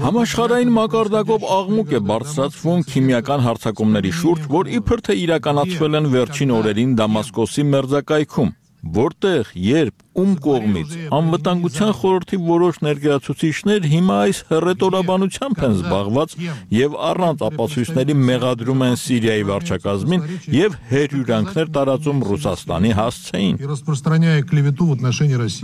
Համաշխարհային մակարդակով աղմուկ է բարձրացվում քիմիական հարձակումների շուրջ, որ իբր թե իրականացվել են վերջին օրերին Դամասկոսի մերձակայքում, որտեղ, երբ, ում կողմից անվտանգության խորհրդի որոշ ներկայացուցիչներ հիմա այս հռետորաբանությամբ են զբաղված եւ առանց ապացույցների մեղադրում են Սիրիայի վարչակազմին եւ հերյուրանքներ տարածում Ռուսաստանի հասցեին։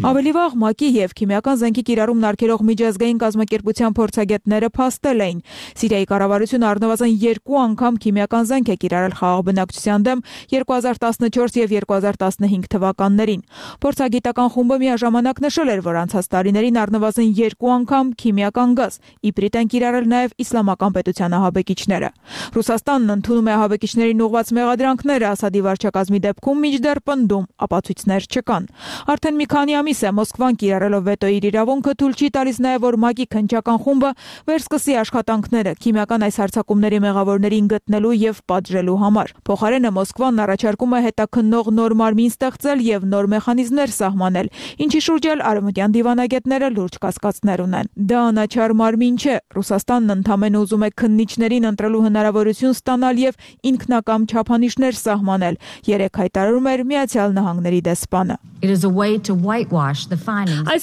Ավելի վաղ ՄԱԿ-ի եւ քիմիական զենքի կիրառումն արգելող միջազգային կազմակերպության փորձագետները փաստել էին։ Սիրիայի կառավարությունը առնվազն 2 անգամ քիմիական զենք է կիրառել խաղաղ բնակչության դեմ 2014 եւ 2015 թվականներին։ Փորձագիտական խումբը միաժամանակ նշել էր, որ անցած տարիներին առնվազն 2 անգամ քիմիական գազ իբրիտ են կիրառել նաև իսլամական պետության ահաբեկիչները։ Ռուսաստանն ընդունում է ահաբեկիչներին ուղղված մեղադրանքները Ասադի վարչակազմի դեպքում մինչդեռ պնդում ապացույցներ չկան։ Արդեն մի քանի ամիս է Մոսկվան կիրառելով վետոյի իր իրավունքը թույլ չի տալիս նաև որ ՄԱԿ-ի քննչական խումբը վերսկսի աշխատանքները քիմիական այս հարձակումների մեղավորներին գտնելու եւ պատժելու համար։ Փոխարենը Մոսկվան առաջարկում է հետաքննող նոր մարմին ստեղծել եւ նոր մեխանիզմներ սահմանել, ինչի շուրջ էլ արևմտյան դիվանագետները լուրջ կասկածներ ունեն։ Դա անաչառ մարմին չէ, Ռուսաստանն ընդամենը ուզում է քննիչներին ընտրելու հնարավորություն ստանալ եւ ինքնակամ չափանիշներ սահմանել, երեք հայտարարում էր Միացյալ Նահանգների դեսպանը։ Այս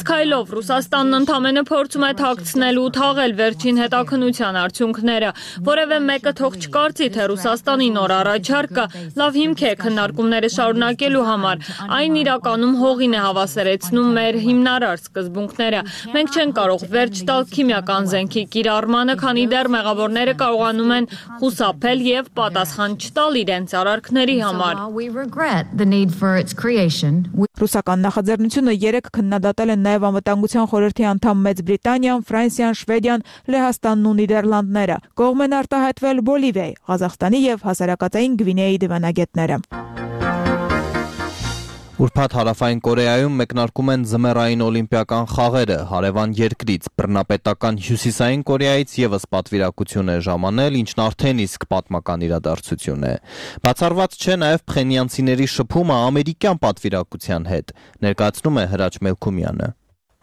քայլով Ռուսաստանն ընդամենը փորձում է թաքցնել ու թաղել վերջին հետաքննության արդյունքները, որևէ մեկը թող չկարծի, թե Ռուսաստանի նոր առաջարկը լավ հիմք է քննարկումները շարունակելու համար, այն իրականում հողին է հավասարեցնում մեր հիմնարար սկզբունքները։ Մենք չենք կարող վերջ տալ քիմիական զենքի կիրառմանը, քանի դեռ մեղավորները կարողանում են խուսափել եւ պատասխան չտալ իրենց արարքների համար։ Ռուսական նախաձեռնությունը 3 քննադատել են նաև Անվտանգության խորհրդի անդամ Մեծ Բրիտանիան, Ֆրանսիան, Շվեդիան, Լեհաստանն ու Նիդերլանդները։ Կողմ են արտահայտվել Բոլիվիայի, Ղազախստանի եւ Հասարակածային Գվինեայի դիվանագետները։ Ուրբաթ Հարավային Կորեայում մեկնարկում են ձմեռային օլիմպիական խաղերը, հարևան երկրից բռնապետական Հյուսիսային Կորեայից եւս պատվիրակություն է ժամանել, ինչն արդեն իսկ պատմական իրադարձություն է։ Բացառված չէ նաեւ փխենյանցիների շփումը ամերիկյան պատվիրակության հետ, ներկայացնում է Հրաչ Մելքումյանը։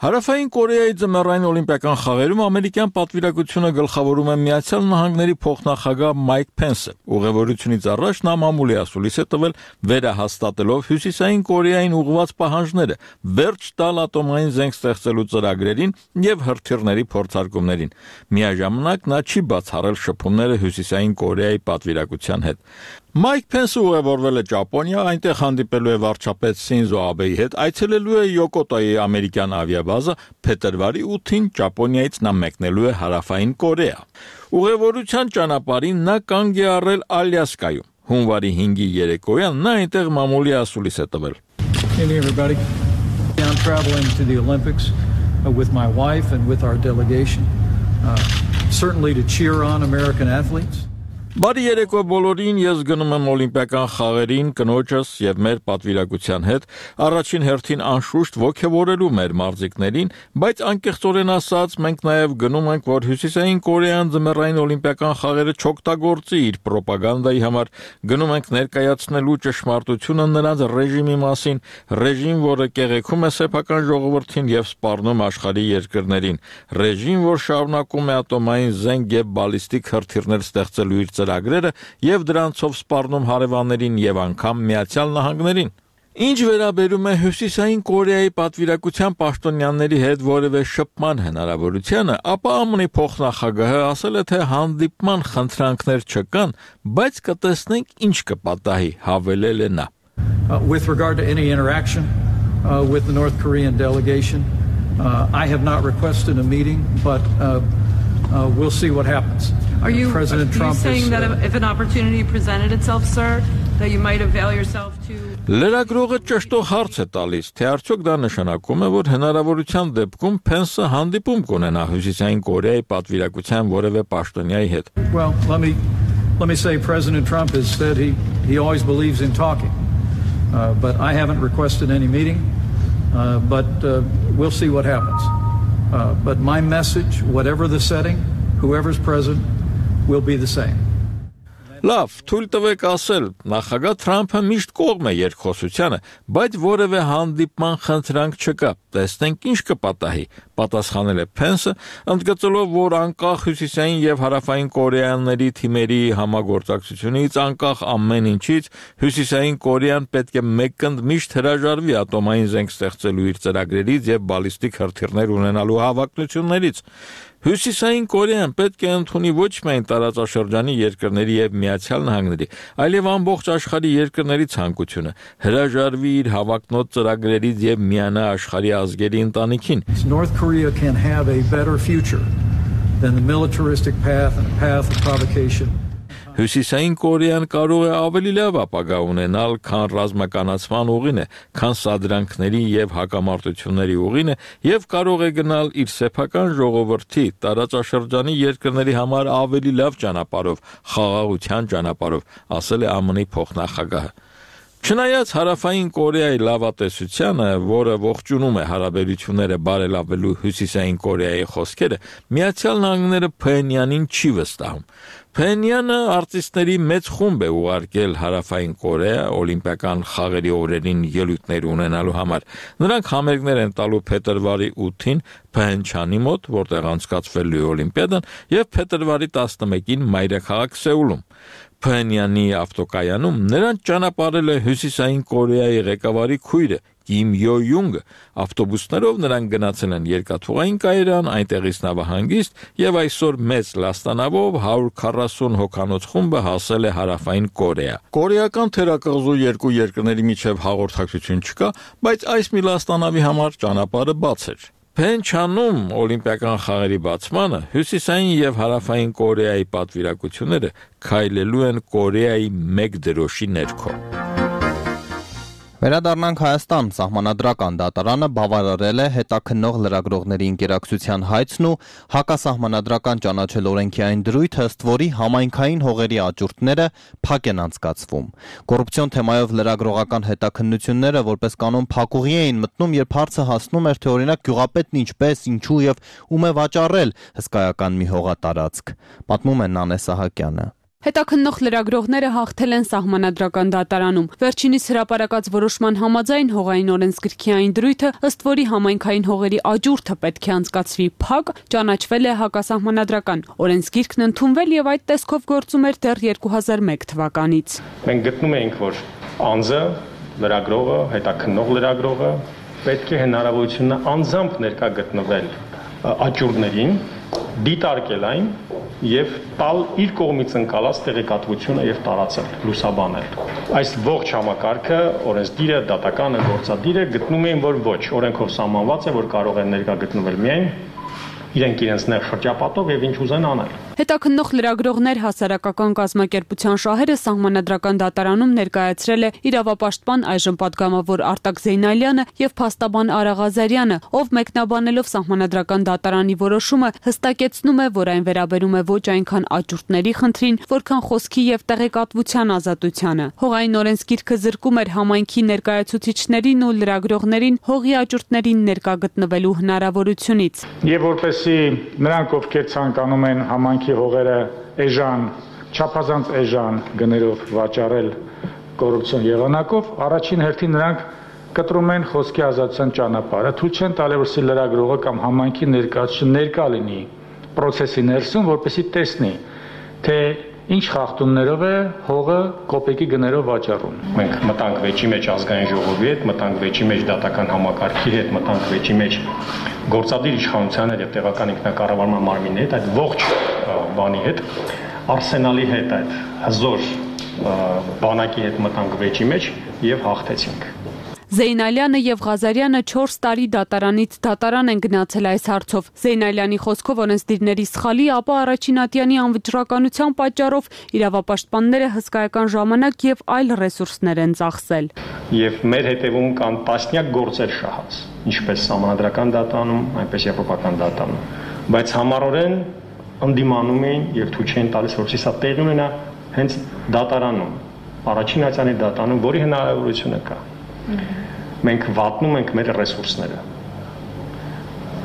Հարավային Կորեայի ձմեռային օլիմպիական խաղերում ամերիկյան պատվիրակությունը գլխավորում է Միացյալ Նահանգների փոխնախագահ Մայք Փենսը։ Ուղևորությունից առաջ նա մամուլի ասուլիս է տվել վերահաստատելով Հյուսիսային Կորեային ուղղված պահանջները վերջ տալ ատոմային զենք ստեղծելու ծրագրերին եւ հրթիռների փորձարկումներին։ Միաժամանակ նա չի բացառել շփումները Հյուսիսային Կորեայի պատվիրակության հետ։ Մայք Փենսը ուղևորվել է Ճապոնիա, այնտեղ հանդիպելու է վարչապետ Սինզո Աբեի հետ, այցելելու է Յոկոտոյի ամերիկյան ավիաբազա, փետրվարի 8-ին Ճապոնիայից նա մեկնելու է Հարավային Կորեա։ Ուղևորության ճանապարհին նա կանգ է առել Ալյասկայում։ Հունվարի 5-ի երեկոյան նա այնտեղ մամուլի ասուլիս է տվել։ Hey everybody. I'm traveling to the Olympics with my wife and with our delegation. Certainly to cheer on American athletes. Բարի երեկո բոլորին, ես գնում եմ օլիմպիական խաղերին կնոջս եւ մեր պատվիրակության հետ, առաջին հերթին անշուշտ ոգևորելու մեր մարզիկներին, բայց անկեղծորեն ասած, մենք նաեւ գնում ենք, որ Հյուսիսային Կորեան ձմեռային օլիմպիական խաղերը չօգտագործի իր ռոպագանդայի համար, գնում ենք ներկայացնելու ճշմարտությունը նրանց ռեժիմի մասին, ռեժիմ, որը կեղեքում է սեփական ժողովրդին եւ սպառնում աշխարհի երկրներին, ռեժիմ, որ շարունակում է ատոմային զենք եւ բալիստիկ հրթիռներ ստեղծելու իր ծրագրերը եւ դրանցով սպառնում հարևաններին եւ անգամ Միացյալ Նահանգներին։ Ինչ վերաբերում է Հյուսիսային Կորեայի պատվիրակության պաշտոնյաների հետ որևէ շփման հնարավորությանը, ապա ԱՄՆ-ի փոխնախագահը ասել է, թե հանդիպման խնդրանքներ չկան, բայց կտեսնենք ինչ կպատահի, հավելել է նա։ With regard to any interaction with the North Korean delegation, I have not requested a meeting, but we'll see what happens. President Trump saying that if an opportunity presented itself, sir, that you might avail yourself to Լրագրողը ճշտող հարց է տալիս, թե արդյոք դա նշանակում է, որ հնարավորության դեպքում Փենսը հանդիպում կունենա Հյուսիսային Կորեայի պատվիրակության որևէ պաշտոնյայի հետ։ Well, let me say President Trump has said he always believes in talking. But I haven't requested any meeting. But we'll see what happens. But my message, whatever the setting, whoever's present, will be the same. Լավ, թույլ տվեք ասել, նախագահ Թրամփը միշտ կողմ է երկխոսությանը, բայց որևէ հանդիպման խնդրանք չկա։ Տեսնենք ինչ կպատահի, պատասխանել է Փենսը, ընդգծելով, որ անկախ Հյուսիսային եւ Հարավային Կորեաների թիմերի համագործակցությունից, անկախ ամեն ինչից, Հյուսիսային Կորեան պետք է մեկընդ միշտ հրաժարվի ատոմային զենք ստեղծելու իր ծրագրերից եւ բալիստիկ հրթիռներ ունենալու հավակնություններից։ Հյուսիսային Կորեան պետք է ընդունի ոչ միայն տարածաշրջանի երկրների եւ Միացյալ Նահանգների, այլև ամբողջ աշխարհի երկրների ցանկությունը, հրաժարվի իր հավակնոտ ծրագրերից եւ միանա աշխարհի ազգերի ընտանիքին։ North Korea can have a better future than the militaristic path and path of provocation. Հյուսիսային Կորեան կարող է ավելի լավ ապագա ունենալ, քան ռազմականացման ուղին է, քան սադրանքների եւ հակամարտությունների ուղին է եւ կարող է գնալ իր սեփական ժողովրդի տարածաշրջանի երկրների համար ավելի լավ ճանապարհով, խաղաղության ճանապարհով, ասել է ԱՄՆ-ի փոխնախագահը։ Չնայած Հարավային Կորեայի լավատեսությանը, որը ողջունում է հարաբերությունները բարելավելու Հյուսիսային Կորեայի խոսքերը, Միացյալ Նահանգները Փենյանին չի վստահում։ Փենյանը արտիստների մեծ խումբ է ուղարկել Հարավային Կորեա օլիմպիական խաղերի օրերին ելույթներ ունենալու համար։ Նրանք համերգներ են տալու փետրվարի 8-ին Փենչանի մոտ, որտեղ անցկացվելու է օլիմպիադան, եւ փետրվարի 11-ին մայրաքաղաք Սեուլում։ Փենյանի ավտոկայանում նրան ճանապարհել է Հյուսիսային Կորեայի ղեկավարի քույրը Կիմ Յո-յունգը, ավտոբուսներով նրանք գնացել են երկաթուղային կայարան, այնտեղից նավահանգիստ եւ այսօր մեծ լաստանավով 140 հոգանոց խումբը հասել է Հարավային Կորեա։ Կորեական թերակղզու երկու երկրների միջև հաղորդակցություն չկա, բայց այս մի լաստանավի համար ճանապարհը բաց էր։ Փենչանում օլիմպիական խաղերի բացմանը Հյուսիսային եւ Հարավային Կորեայի պատվիրակությունները քայլելու են Կորեայի մեկ դրոշի ներքո։ Վերադառնանք Հայաստան, Սահմանադրական դատարանը բավարարել է հետաքննող լրագրողների ինկերակցության հայցն ու հակասահմանադրական ճանաչել օրենքի այն դրույթը, ըստ որի համայնքային հողերի աճուրդները փակ են անցկացվում։ Կոռուպցիոն թեմայով լրագրողական հետաքննությունները որպես կանոն փակուղի էին մտնում, երբ հարցը հասնում էր, թե օրինակ գյուղապետն ինչպես, ինչու եւ ում է վաճառել հսկայական մի հողատարածք։ Պատմում է Նանե Սահակյանը։ Հետաքննող լրագրողները հաղթել են Սահմանադրական դատարանում։ Վերջինիս հրապարակած որոշման համաձայն հողային օրենսգրքի այն դրույթը, ըստ որի համայնքային հողերի աճուրդը պետք է անցկացվի փակ, ճանաչվել է հակասահմանադրական։ Օրենսգիրքն ընդունվել եւ այդ տեսքով գործում էր դեռ 2001 թվականից։ Մենք գտնում էինք, որ անձը, լրագրողը, հետաքննող լրագրողը պետք է հնարավորությունը անձամբ ներկա գտնվել աճուրդներին, դիտարկել այն եւ տալ իր կողմից ընկալած տեղեկատվությունը եւ տարածել, լուսաբանել։ Այս ողջ համակարգը օրենսդիրը, դատականը, գործադիրը գտնում էին, որ ոչ, օրենքով սահմանված է, որ կարող են ներկա գտնվել միայն իրենք իրենց նեղ շրջապատով եւ ինչ ուզեն անել։ Հետաքննող լրագրողներ հասարակական կազմակերպության շահերը Սահմանադրական դատարանում ներկայացրել է իրավապաշտպան այժմ պատգամավոր Արտակ Զեյնալյանը եւ փաստաբան Արա Ղազարյանը, ով մեկնաբանելով Սահմանադրական դատարանի որոշումը հստակեցնում է, որ այն վերաբերում է ոչ այնքան աճուրդների խնդրին, որքան խոսքի եւ տեղեկատվության ազատությանը։ Հողային օրենսգիրքը զրկում էր համայնքի ներկայացուցիչներին ու լրագրողներին հողի աճուրդներին ներկա գտնվելու հնարավորությունից։ Եվ որպեսզի նրանք, ովքեր ցանկանում են համայնքի հողերը էժան, չափազանց էժան գներով վաճառել կոռուպցիոն եղանակով, առաջին հերթին նրանք կտրում են խոսքի ազատության ճանապարհը, թույլ չեն տալի, որ լրագրողը կամ համայնքի ներկայացուցիչը ներկա լինի process-ի ներսում, որպեսզի տեսնի, թե ինչ խախտումներով է հողը կոպեկի գներով վաճառում։ Մենք մտանք վեճի մեջ ազգային ժողովի հետ, մտանք վեճի մեջ դատական համակարգի հետ, մտանք վեճի մեջ գործադիր իշխանության հետ եւ տեղական ինքնակառավարման մարմինի հետ, այդ ողջ բանի հետ, արսենալի հետ, այդ հզոր բանակի հետ մտանք վեճի մեջ եւ հաղթեցինք։ Զեյնալյանը եւ Ղազարյանը 4 տարի դատարանից դատարան են գնացել այս հարցով։ Զեյնալյանի խոսքով օրենսդիրների սխալի, ապա Առաջինատյանի անվճռականության պատճառով իրավապաշտպանները հսկայական ժամանակ եւ այլ ռեսուրսներ են ծախսել։ Եվ մեր հետևում կան տասնյակ գործեր շահած, ինչպես Սահմանադրական դատարանում, այնպես եվրոպական դատարանում, բայց համառորեն ընդդիմանում էին եւ թույլ չէին տալիս, որպեսզի սա տեղի ունենա հենց դատարանում, Առաջինատյանի դատարանում, որի հնարավորությունը կա։ Մենք վատնում ենք մեր ռեսուրսները։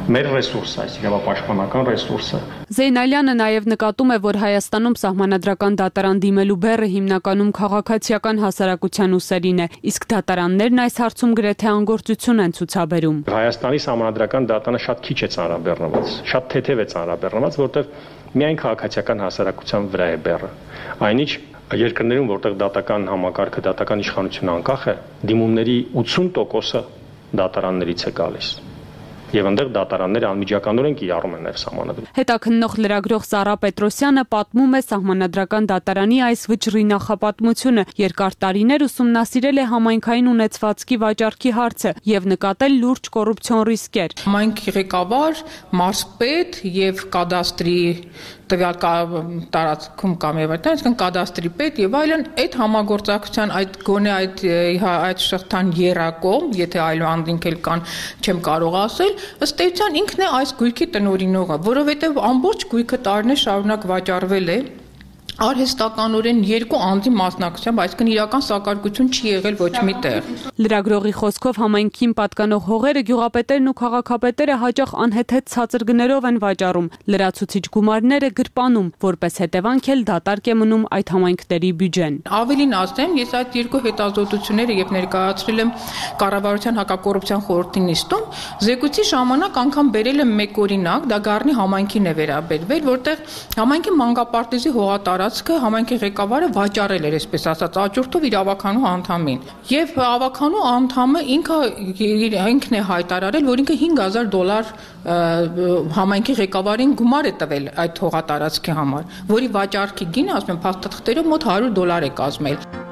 մեր ռեսուրսը, այսինքն պաշտպանական ռեսուրսը։ Զեյնալյանը նաև նկատում է, որ Հայաստանում սահմանադրական դատարան դիմելու բեռը հիմնականում քաղաքացիական հասարակության ուսերին է, իսկ դատարաններն այս հարցում գրեթե անգործություն են ցուցաբերում։ Հայաստանի սահմանադրական դատարանը շատ քիչ է ծանրաբեռնված, շատ թեթև է ծանրաբեռնված, որտեղ միայն քաղաքացիական հասարակության վրա է բեռը։ Այնինչ երկրներում, որտեղ դատական համակարգը, դատական իշխանությունը անկախ է, դիմումների 80%-ը դատարաններից է գալիս։ Եվ այնտեղ դատարանները անմիջականորեն կիրառում են նաև սահմանադրություն։ Հետաքննող լրագրող Սարա Պետրոսյանը պատմում է սահմանադրական դատարանի այս վճռի նախապատմությունը, երկար տարիներ ուսումնասիրել է համայնքային ունեցվածքի վաճառքի հարցը եւ նկատել լուրջ կոռուպցիոն ռիսկեր։ Համայնքի ղեկավար, մարզպետ եւ կադաստրի տվյալ տարածքում կամ եւ այդտեղ կադաստրի պետ եւ այլն այդ համագործակցության այդ գոնե այդ շղթան երակողմ, եթե այլանդինք էլ կան, չեմ կարող ասել, ըստ էության ինքն է այս գույքի տնօրինողը, որովհետեւ ամբողջ գույքը տարիներ շարունակ վաճառվել է արհեստականորեն երկու անձի մասնակցությամբ, այսինքն իրական սակարկություն չի եղել ոչ մի տեղ։ Լրագրողի խոսքով համայնքին պատկանող հողերը գյուղապետերն ու քաղաքապետերը հաճախ անհեթեթ ցածր գներով են վաճառում, լրացուցիչ գումարները գրպանում, որպես հետևանք էլ դատարկ է մնում այդ համայնքների բյուջեն։ Ավելին ասեմ, ես այդ երկու հետազոտությունները երբ ներկայացրել եմ կառավարության հակակոռուպցիոն խորհրդի նիստում, զեկույցի ժամանակ անգամ բերել եմ մեկ օրինակ, դա Գառնի համայնքին է վերաբերվել, որտեղ համայնքի մանկապարտեզի հողատարածքը համայնքի ղեկավարը վաճառել էր, այսպես ասած, աճուրդով իր ավականու անդամին։ Եվ ավականու անդամը ինքն է հայտարարել, որ ինքը $5,000 համայնքի ղեկավարին գումար է տվել այդ հողատարածքի համար, որի վաճառքի գինը, ասում եմ, փաստաթղթերով մոտ $100 է կազմել։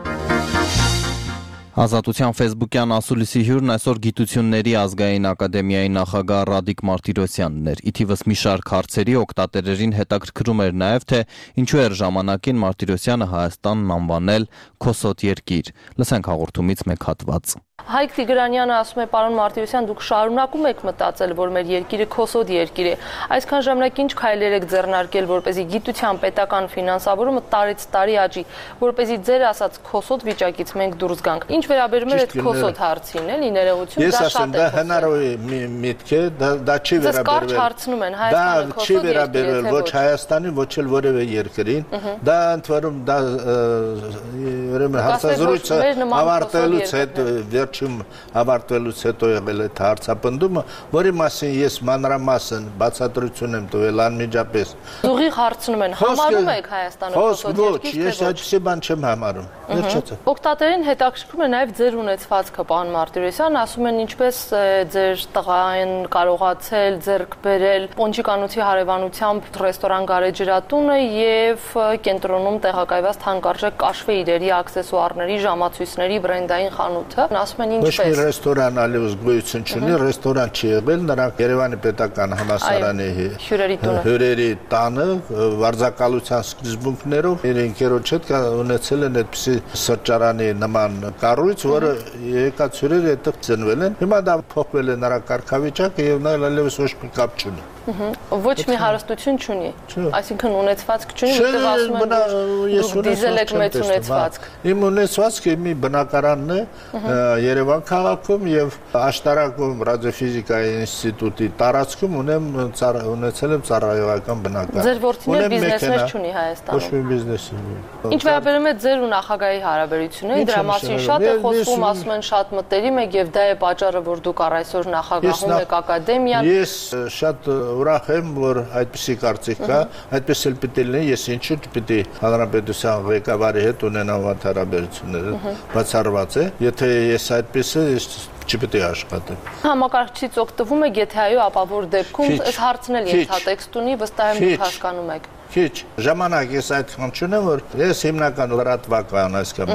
Ազատության ֆեյսբուքյան ասուլիսի հյուրն այսօր Գիտությունների ազգային ակադեմիայի նախագահ Ռադիկ Մարտիրոսյանն էր։ Ի թիվս մի շարք հարցերի օգտատերերին հետաքրքրում էր նաև, թե ինչու էր ժամանակին Մարտիրոսյանը Հայաստանն անվանել «Քոսոտ երկիր»։ Լսենք հաղորդումից մեկ հատված։ Հայկ Տիգրանյանը ասում է, պարոն Մարտիրոսյան, դուք շարունակում եք մտածել, որ մեր երկիրը քոսոտ երկիր է։ Այսքան ժամանակ ինչ քայլեր եք ձեռնարկել, որպեսզի գիտության պետական ֆինանսավորումը տարեց տարի աճի, որպեսզի ձեր ասած քոսոտ վիճակից մենք դուրս գանք։ Ինչ վերաբերում է այդ քոսոտ հարցին, էլի ներողություն, դա շատ է։ Դա հնարավոր միտք է, դա չի վերաբերվել։ Դա հարցնում են Հայաստանը քոսոտ չի վերաբերվել ոչ Հայաստանին, ոչ էլ որևէ երկրին։ Դա ընդվարում դա ուրեմն հարցազրույցը ավարտելուց հետո վերջում ավարտվելուց հետո եղել է հարցապնդումը, որի մասին ես մանրամասն բացատրություն եմ տվել անմիջապես։ Ուղիղ հարցնում են, համարում եք Հայաստանը քոսոտ երկիր, ոչ, ես այդպիսի բան չեմ համարում։ Օգտատերին հետաքրքրում է նաև ձեր ունեցվածքը, պարոն Մարտիրոսյան, ասում են ինչպես ձեր տղային կարողացել ձեռք բերել Պոնչիկանոցի հարևանությամբ ռեստորան Գարեջրատունը եւ կենտրոնում տեղակայված թանկարժեք կաշվե իրերի, աքսեսուարների, ժամացույցների բրենդային խանութը։ Ասում են ինչպես։ Ոչ մի ռեստորան ալիուս գոյություն չունի, ռեստորան չի եղել, նրանք Երևանի պետական համալսարանի հյուրերի տանը վարձակալության սկզբունքներով իր ընկերոջ հետ ունեցել են այդպիսի սրճարանի նման կառույց, որը եկած հյուրերը այդտեղ ծնվել են։ Հիմա դա փոխվել է նրա կարգավիճակը եւ նա այլևս ոչ մի կապ չունի։ Ոչ մի հարստություն չունի, այսինքն ունեցվածք չունի, որտեղ ասում են, որ դիզել եք մեծ ունեցվածք։ Իմ ունեցվածքը մի բնակարանն է Երևան քաղաքում եւ աշտարակում ռադիոֆիզիկայի ինստիտուտի տարածքում ունեցել եմ ծառայողական բնակարան։ Ձեր որդին բիզնեսներ չունի Հայաստանում։ Ոչ մի բիզնես չունի։ Ինչ վերաբերում է ձեր ու նախագահի հարաբերություններին, դրա մասին շատ է խոսվում, ասում են շատ մտերիմ եք եւ դա է պատճառը, որ դուք առ այսօր նախագահում եք ակադեմիան։ Ես շատ ուրախ եմ, որ այդպիսի կարծիք կա, այդպես էլ պիտի լինի, ես ինչու պիտի հանրապետության ղեկավարի հետ ունենամ հարաբերություններ, բացառված է, եթե ես այդպես է, չպետք է աշխատեմ։ Համակարգչից օգտվում եք, եթե այո, ապա որ դեպքում այս հարցն էլ ենթատեքստ ունի, վստահ եմ դուք հասկանում եք։ Քիչ ժամանակ ես այդքան չունեմ, որ ես հիմնական լրատվական այսքան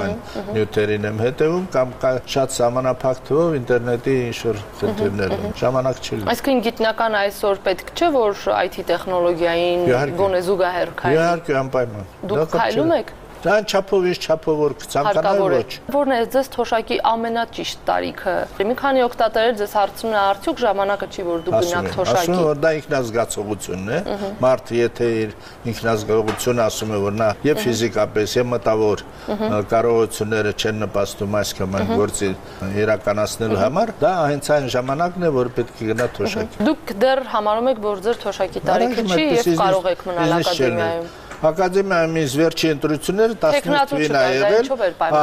նյութերին եմ հետևում կամ շատ սահմանափակ թվով ինտերնետի ինչ-որ խնդիրներ եմ, ժամանակ չի լինում։ Այսինքն գիտնական այսօր պետք չէ, որ IT տեխնոլոգիային գոնե զուգահեռ քայլի։ Իհարկե անպայման։ Դուք քայլում եք։ Դրան չափով ինչ չափով որ ցանկանալ ոչ։ Որն է ձեզ թոշակի ամենաճիշտ տարիքը։ Մի քանի օգտատերեր ձեզ հարցնում են արդյոք ժամանակը չի որ դուք գնաք թոշակի։ Ասում որ դա ինքնազգացողությունն է։ Մարդը եթե իր ինքնազգացողությունը ասում է որ նա եւ ֆիզիկապես եւ մտավոր կարողությունները չեն նպաստում այս կամ այն գործի իրականացնելու համար, դա հենց այն ժամանակն է որ պետք է գնա թոշակի։ Դուք դեռ համարում եք որ ձեր թոշակի տարիքը չի եւ կարող եք մնալ ակադեմիայում։ Ակադեմիայում ինձ վերջի ընտրությունները 18 թվականին ա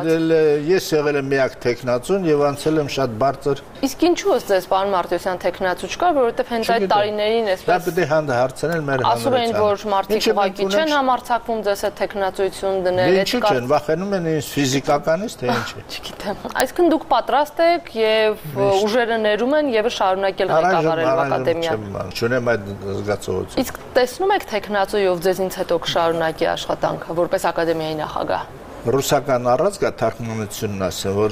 եղել։ Ես եղել եմ միակ տեխնացուն եւ անցել եմ շատ բարձր։ Իսկ ինչու է ձեզ պարոն Մարտիրոսյան տեխնացու չկար, որովհետեւ հենց այդ տարիներին էսպես։ Դա պետք է հարցնել մեր հանրությանը։ Ասում են որ մարդիկ ուղղակի չեն համարձակվում ձեզ այդ տեխնացություն դնել, այդ չեն, վախենում են ինձ ֆիզիկականից թե ինչ է։ Չգիտեմ։ Այսինքն դուք պատրաստ եք եւ ուժերը ներում են եւ շարունակել ղեկավարել ակադեմիան։ Չունեմ այդ զգացողությունը։ Իսկ տեսնում եք տեխնացուով ձեզ հետո կշարունակի աշխատանքը որպես ակադեմիայի նախագահ։ Ռուսական առածկա թարգմանությունն ասել որ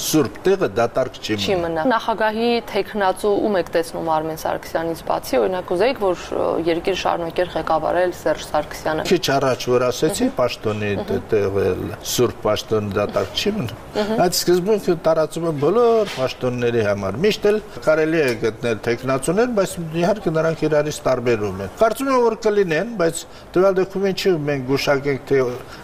սուրբ տեղը դատարկ չի մնա։ Նախագահի տեխնացու ում եք տեսնում Արմեն Սարգսյանից բացի, օրինակ ուզեիք որ երկիր շարունակեր ղեկավարել Սերժ Սարգսյանը։ Քիչ առաջ որ ասեցի պաշտոնի տեղը սուրբ պաշտոնը դատարկ չի մնա։ Այդ սկզբունքը տարածում է բոլոր պաշտոնների համար։ Միշտ էլ կարելի է գտնել տեխնացուներ, բայց իհարկե նրանք իրարից տարբերում են։ Կարծում եմ որ կլինեն, բայց տվյալ դոկումենտը մենք գուշակենք թե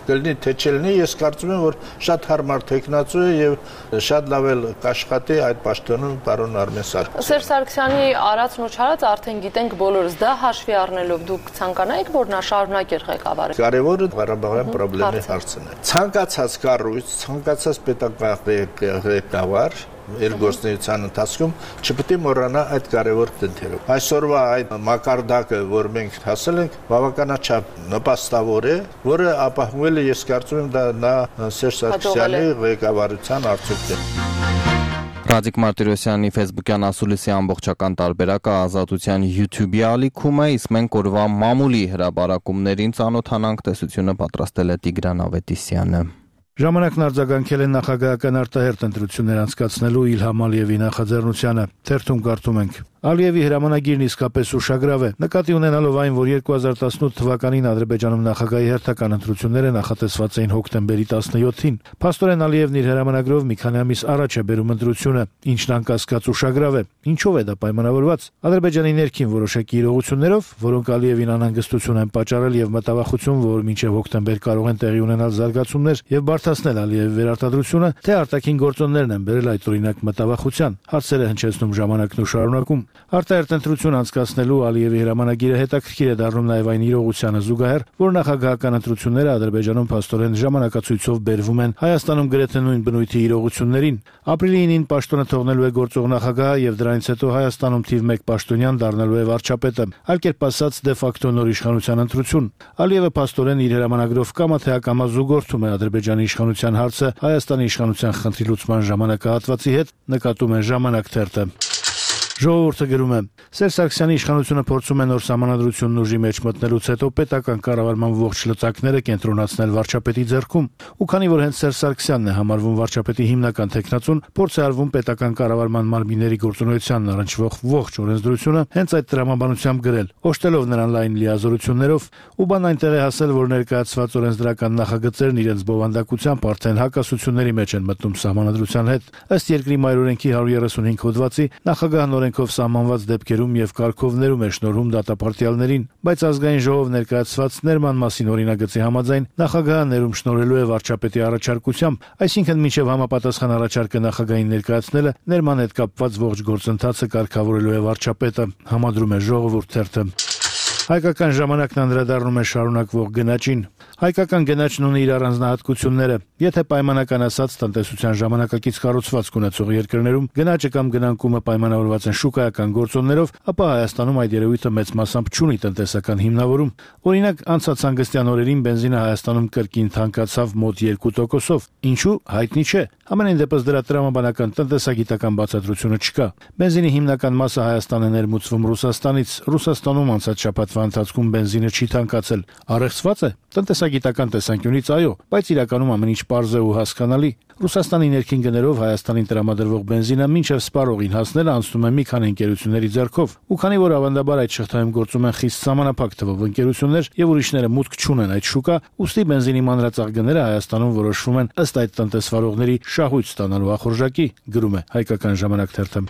կլինի թե չլինի։ Ես կարծում եմ որ շատ հարմար տեխնացու է եւ շատ լավ էլ կաշխատի այդ պաշտոնում պարոն Արմեն Սարգսյանը։ Սերժ Սարգսյանի արածն ու չարածը արդեն գիտենք բոլորս, դա հաշվի առնելով դուք ցանկանայիք որ նա շարունակեր ղեկավարել։ Կարևորը Ղարաբաղյան խնդրի հարցն է։ Ցանկացած կառույց, ցանկացած պետական ղեկավար երկրորդ ընթացքում չպետք է մոռանա այդ կարևոր դեպքերը։ Այսօրվա այդ մակարդակը, որ մենք հասել ենք, բավականաչափ նպաստավոր է, որը ապահովել է, ես կարծում եմ, դա նա Սերժ Սարգսյանի ղեկավարության արդյունքն է։ Ռադիկ Մարտիրոսյանի Facebook-յան ասուլիսի ամբողջական տարբերակը Ազատության YouTube-ի ալիքում է, իսկ մենք օրվա մամուլի հրաբարակումներին ծանոթանանք, տեսությունը պատրաստել է Տիգրան Ավետիսյանը։ Ժամանակն արձագանքել են նախագահական արտահերթ ընտրություններ անցկացնելու Իլհամ Ալիևի նախաձեռնությանը։ Թերթում կարդում ենք. Ալիևի հրամանագիրն իսկապես ուշագրավ է։ Նկատի ունենալով այն, որ 2018 թվականին Ադրբեջանում նախագահի հերթական ընտրությունները նախատեսված էին հոկտեմբերի 17-ին, փաստորեն Ալիևն իր հրամանագրով մի քանի ամիս առաջ է բերում ընտրությունը, ինչն անկասկած ուշագրավ է։ Ինչով է դա պայմանավորված։ Ադրբեջանի ներքին որոշակի իրողություններով, որոնք Ալիևին անհանգստություն են պատճառել եւ մտավախություն, որ մինչեւ հոկտեմբեր կարող են տեղի ունենալ զարգացումներ եւ բարդացնել Ալիևի վերարտադրությունը, թե արտաքին գործոններն են բերել այդ օրինակ մտավախության։ Հարցերը հնչեցնում ժամանակն ու շարունակում։ Արտահերթ ընտրություն անցկացնելու Ալիևի հրամանագիրը հետաքրքիր է դառնում նաև այն իրողությանը զուգահեռ, որ նախագահական ընտրությունները Ադրբեջանում փաստորեն ժամանակացույցով բերվում են Հայաստանում գրեթե նույն բնույթի իրողություններին։ Ապրիլի 9-ին պաշտոնը թողնելու է գործող նախագահը եւ դրանից հետո Հայաստանում թիվ 1 պաշտոնյան դառնալու է վարչապետը, այլ կերպ ասած դե ֆակտո նոր իշխանության ընտրություն։ Ալիևը փաստորեն իր հրամանագրով կամա թե ակամա զուգորդում է Ադրբեջանի իշխանության հարցը Հայաստանի իշխանության խնդրի լուծման ժամանակահատվածի հետ, նկատում է Ժամանակ թերթը։ Ժողովուրդը գրում է. Սերժ Սարգսյանի իշխանությունը փորձում է նոր սահմանադրությունն ուժի մեջ մտնելուց հետո պետական կառավարման ողջ լծակները կենտրոնացնել վարչապետի ձեռքում, ու քանի որ հենց Սերժ Սարգսյանն է համարվում վարչապետի հիմնական տեխնացուն, փորձ է արվում պետական կառավարման մարմինների գործունեությանն առնչվող ողջ օրենսդրությունը հենց այդ տրամաբանությամբ գրել, օժտելով նրան լայն լիազորություններով, ու բան այնտեղ է հասել, որ ներկայացված օրենսդրական նախագծերն իրենց բովանդակությամբ արդեն հակասությունների մեջ են մտնում սահմանադրության հետ։ Ըստ երկրի մայրօրենքի 135 հոդվածի նախագահն օրենքով սահմանված դեպքերում եւ կարգովներում է շնորհում դատապարտյալներին, բայց ազգային ժողով ներկայացված ներման մասին օրինագծի համաձայն նախագահը ներում շնորհելու է վարչապետի առաջարկությամբ, այսինքն մինչեւ համապատասխան առաջարկը նախագահին ներկայացնելը ներման հետ կապված ողջ գործընթացը կարգավորելու է վարչապետը, համադրում է Ժողովուրդ թերթը։ Հայկական ժամանակն անդրադառնում է շարունակվող գնաճին։ Հայկական գնաճն ունի իր առանձնահատկությունները։ Եթե պայմանական ասած տնտեսության ժամանակակից կառուցվածք ունեցող երկրներում գնաճը կամ գնանկումը պայմանավորված են շուկայական գործոններով, ապա Հայաստանում այդ երևույթը մեծ մասամբ չունի տնտեսական հիմնավորում։ Օրինակ, անցած հանգստյան օրերին բենզինը Հայաստանում կրկին թանկացավ մոտ 2%-ով։ Ինչու՞, հայտնի չէ։ Ամենայն դեպս դրա տրամաբանական տնտեսագիտական բացատրությունը չկա։ Բենզինի հիմնական մասը Հայաստան է ներմուծվում Ռուսաստանից։ Ռուսաստանում անցած շաբաթվա ընթացքում բենզինը չի թանկացել։ Առեղծված է։ Տնտեսագիտական տեսանկյունից այո, բայց իրականում ամեն ինչ պարզ է ու հասկանալի։ Ռուսաստանի ներքին գներով Հայաստանին տրամադրվող բենզինը մինչև սպառողին հասնելը անցնում է մի քանի ընկերությունների ձեռքով, ու քանի որ ավանդաբար այդ շղթայում գործում են խիստ սահմանափակ թվով ընկերություններ եւ ուրիշները մուտք չունեն այդ շուկա, ուստի բենզինի մանրածախ գները Հայաստանում որոշվում են ըստ այդ տնտեսվարողների շահույթ ստանալու ախորժակի, գրում է Հայկական ժամանակ թերթը։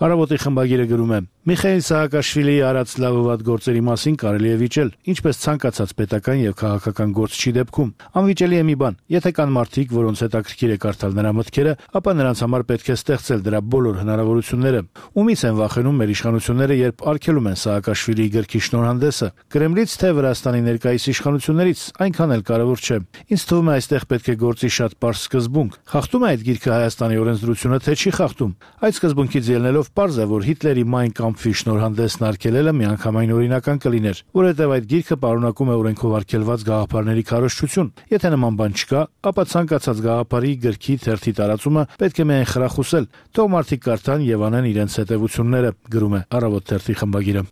Առավոտի խմբագիրը գրում է. Միխայիլ Սահակաշվիլիի արած լավ ու վատ գործերի մասին կարելի է վիճել, ինչպես ցանկացած պետական եւ քաղաքական գործչի դեպքում։ Անվիճելի է մի բան. եթե կան մարդիկ, որոնց հետաքրքիր է կարդալ նրա մտքերը, ապա նրանց համար պետք է ստեղծել դրա բոլոր հնարավորությունները։ Ումից են վախենում մեր իշխանությունները, երբ արգելում են Սահակաշվիլիի գրքի շնորհանդեսը, Կրեմլից թե Վրաստանի ներկայիս իշխանություններից, այնքան էլ կարևոր չէ։ Ինձ թվում է այստեղ պետք է գործի շատ պարզ սկզբունք։ Խախտում է այդ գիրքը Հայաստանի օրենսդրությունը, թե չի խախտում։ Այդ սկզբունքից ելնելով պարզ է, որ Հիտլերի Մայն Կամփի շնորհանդեսն արգելելը միանգամայն օրինական կլիներ, որովհետև այդ գիրքը պարունակում է օրենքով արգելված գաղափարների քարոզչություն։ Եթե նման բան չկա, ապա ցանկացած գաղափարի, գրքի, թերթի տարածումը պետք է միայն խրախուսել, թող մարդիկ կարդան եւ անեն իրենց հետևությունները, գրում է Առավոտ թերթի խմբագիրը։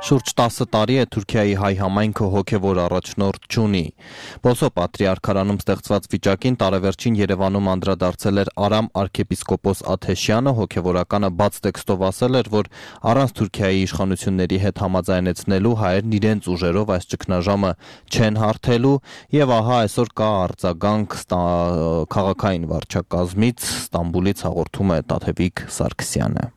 Շուրջ 10 տարի է Թուրքիայի հայ համայնքը հոգևոր առաջնորդ չունի։ Բոսո Պատրիարքարանում ստեղծված վիճակին տարեվերջին Երևանում անդրադարձել էր Արամ arczepiskopos Աթեշյանը, հոգևորականը բաց տեքստով ասել էր, որ առանց Թուրքիայի իշխանությունների հետ համաձայնեցնելու հայերն իրենց ուժերով այս ճգնաժամը չեն հարթելու, եւ ահա այսօր կա արձագանք քաղաքային վարչակազմից, Ստամբուլից հաղորդում է Տաթևիկ Սարգսյանը։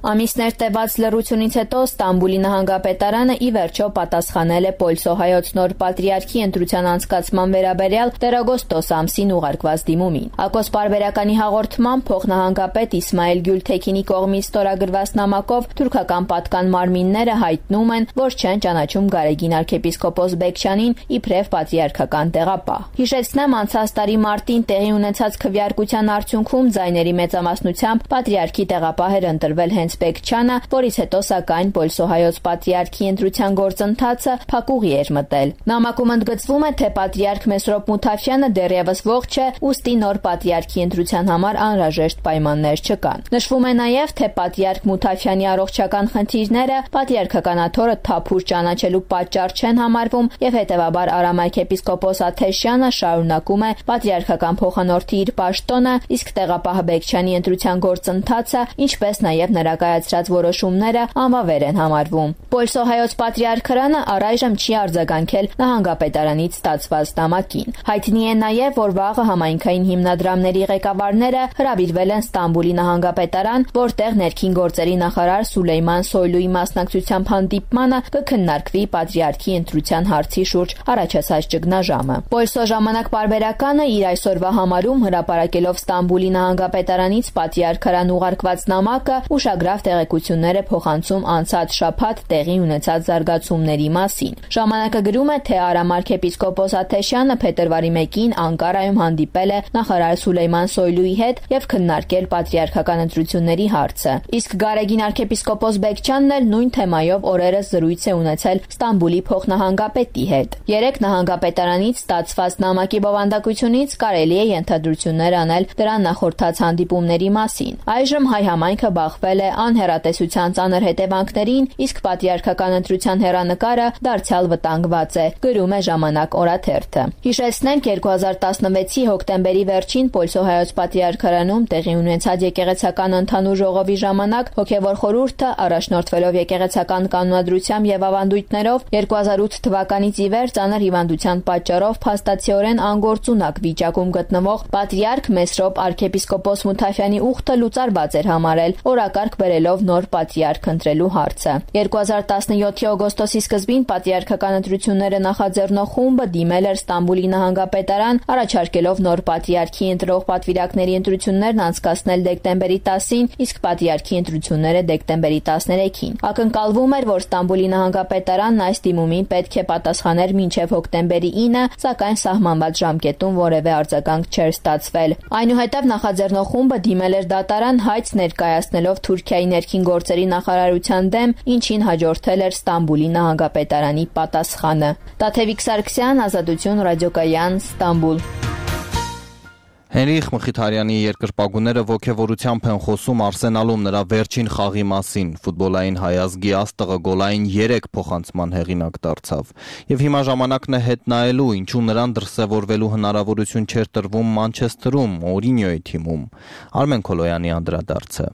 Ամիսներ տևած լռությունից հետո Ստամբուլի նահանգապետարանը ի վերջո պատասխանել է Պոլսո հայոց նոր պատրիարքի ընտրության անցկացման վերաբերյալ տերագոստոս ամսին ուղարկված դիմումին։ Ակոս պարբերականի հաղորդմամբ փոխնահանգապետ Իսմայել Գյուլթեքինի կողմից ստորագրված նամակով թուրքական պատկան մարմինները հայտնում են, որ չեն ճանաչում Գարեգին arczepiskopos Բեկչյանին իբրև պատրիարքական տեղապահ։ Հիշեցնեմ, անցած տարի մարտին տեղի ունեցած քվեարկության արդյունքում ձայների մեծամասնությամբ պատրիարքի տեղապահ էր ընտրվել հենց Բեկչյանը, որից հետո սակայն Պոլսո հայոց պատրիարքի ընտրության գործընթացը փակուղի էր մտել։ Նամակում ընդգծվում է, թե պատրիարք Մեսրոպ Մութաֆյանը դեռևս ողջ է, ուստի նոր պատրիարքի ընտրության համար անհրաժեշտ պայմաններ չկան։ Նշվում է նաև, թե պատրիարք Մութաֆյանի առողջական խնդիրները պատրիարքական աթոռը թափուր ճանաչելու պատճառ չեն համարվում եւ հետեւաբար Արամ arczepiskopos Աթեշյանը շարունակում է պատրիարքական փոխանորդի իր պաշտոնը, իսկ տեղապահ Բեկչյանի ընտրության գործընթացը, ինչպես նաև նրա կայացրած որոշումները անվավեր են համարվում։ Պոլսո հայոց պատրիարքարանը առայժմ չի արձագանքել նահանգապետարանից ստացված նամակին։ Հայտնի է նաև, որ վաղը համայնքային հիմնադրամների ղեկավարները հրավիրվել են Ստամբուլի նահանգապետարան, որտեղ ներքին գործերի նախարար Սուլեյման Սոյլուի մասնակցությամբ հանդիպմանը կքննարկվի պատրիարքի ընտրության հարցի շուրջ առաջացած ճգնաժամը։ Պոլսո ժամանակ պարբերականը իր այսօրվա համարում հրապարակելով Ստամբուլի նահանգապետարանից պատրիարքարան ուղարկված նամակը ուշագրավ տեղեկություններ է փոխանցում անցած շաբաթ տեղի ունեցած զարգացումների մասին։ Ժամանակը գրում է, թե Արամ arczepiskopos Աթեշյանը փետրվարի 1-ին Անկարայում հանդիպել է նախարար Սուլեյման Սոյլուի հետ եւ քննարկել պատրիարքական ընտրությունների հարցը։ Իսկ Գարեգին arczepiskopos Բեկչյանն էլ նույն թեմայով օրերս զրույց է ունեցել Ստամբուլի փոխնահանգապետի հետ։ Երեք նահանգապետարանից ստացված նամակի բովանդակությունից կարելի է ենթադրություններ անել դրան նախորդած հանդիպումների մասին։ Այժմ հայ համայնքը բախվել է անհեռատեսության ծանր հետևանքներին, իսկ պատրիարքական ընտրության հեռանկարը դարձյալ վտանգված է, գրում է Ժամանակ օրաթերթը։ Հիշեցնենք 2016-ի հոկտեմբերի վերջին Պոլսո հայոց պատրիարքարանում տեղի ունեցած եկեղեցական ընդհանուր ժողովի ժամանակ հոգևոր խորհուրդը առաջնորդվելով եկեղեցական կանոնադրությամբ եւ ավանդույթներով 2008 թվականից ի վեր ծանր հիվանդության պատճառով փաստացիորեն անգործունակ վիճակում գտնվող պատրիարք Մեսրոպ arczepiskopos Մութաֆյանի ուխտը լուծարված էր համարել, օրակարգ բերելով նոր պատրիարք ընտրելու հարցը։ 2017-ի օգոստոսի սկզբին պատրիարքական ընտրությունները նախաձեռնող խումբը դիմել էր Ստամբուլի նահանգապետարան, առաջարկելով նոր պատրիարքի ընտրող պատվիրակների ընտրություններն անցկացնել դեկտեմբերի 10-ին, իսկ պատրիարքի ընտրությունները դեկտեմբերի 13-ին։ Ակնկալվում էր, որ Ստամբուլի նահանգապետարանն այս դիմումին պետք է պատասխաներ մինչև հոկտեմբերի 9, սակայն սահմանված ժամկետում որևէ արձագանք չէր ստացվել։ Այնուհետև նախաձեռնող խումբը դիմել էր դատարան հայց ներկայացնելով Թուրքիայի ներքին գործերի նախարարության դեմ, ինչին հաջորդել էր Ստամբուլի նահանգապետարանի պատասխանը։ Տաթևիկ Սարգսյան, Ազատություն ռադիոկայան, Ստամբուլ։ Հենրիխ Մխիթարյանի երկրպագուները ոգևորությամբ են խոսում Արսենալում նրա վերջին խաղի մասին։ Ֆուտբոլային հայազգի աստղը գոլային 3 փոխանցման հեղինակ դարձավ։ Եվ հիմա ժամանակն է հետ նայելու, ինչու նրան դրսևորվելու հնարավորություն չէր տրվում Մանչեսթերում, Մորինյոյի թիմում։ Արմեն Քոլոյանի անդրադարձը։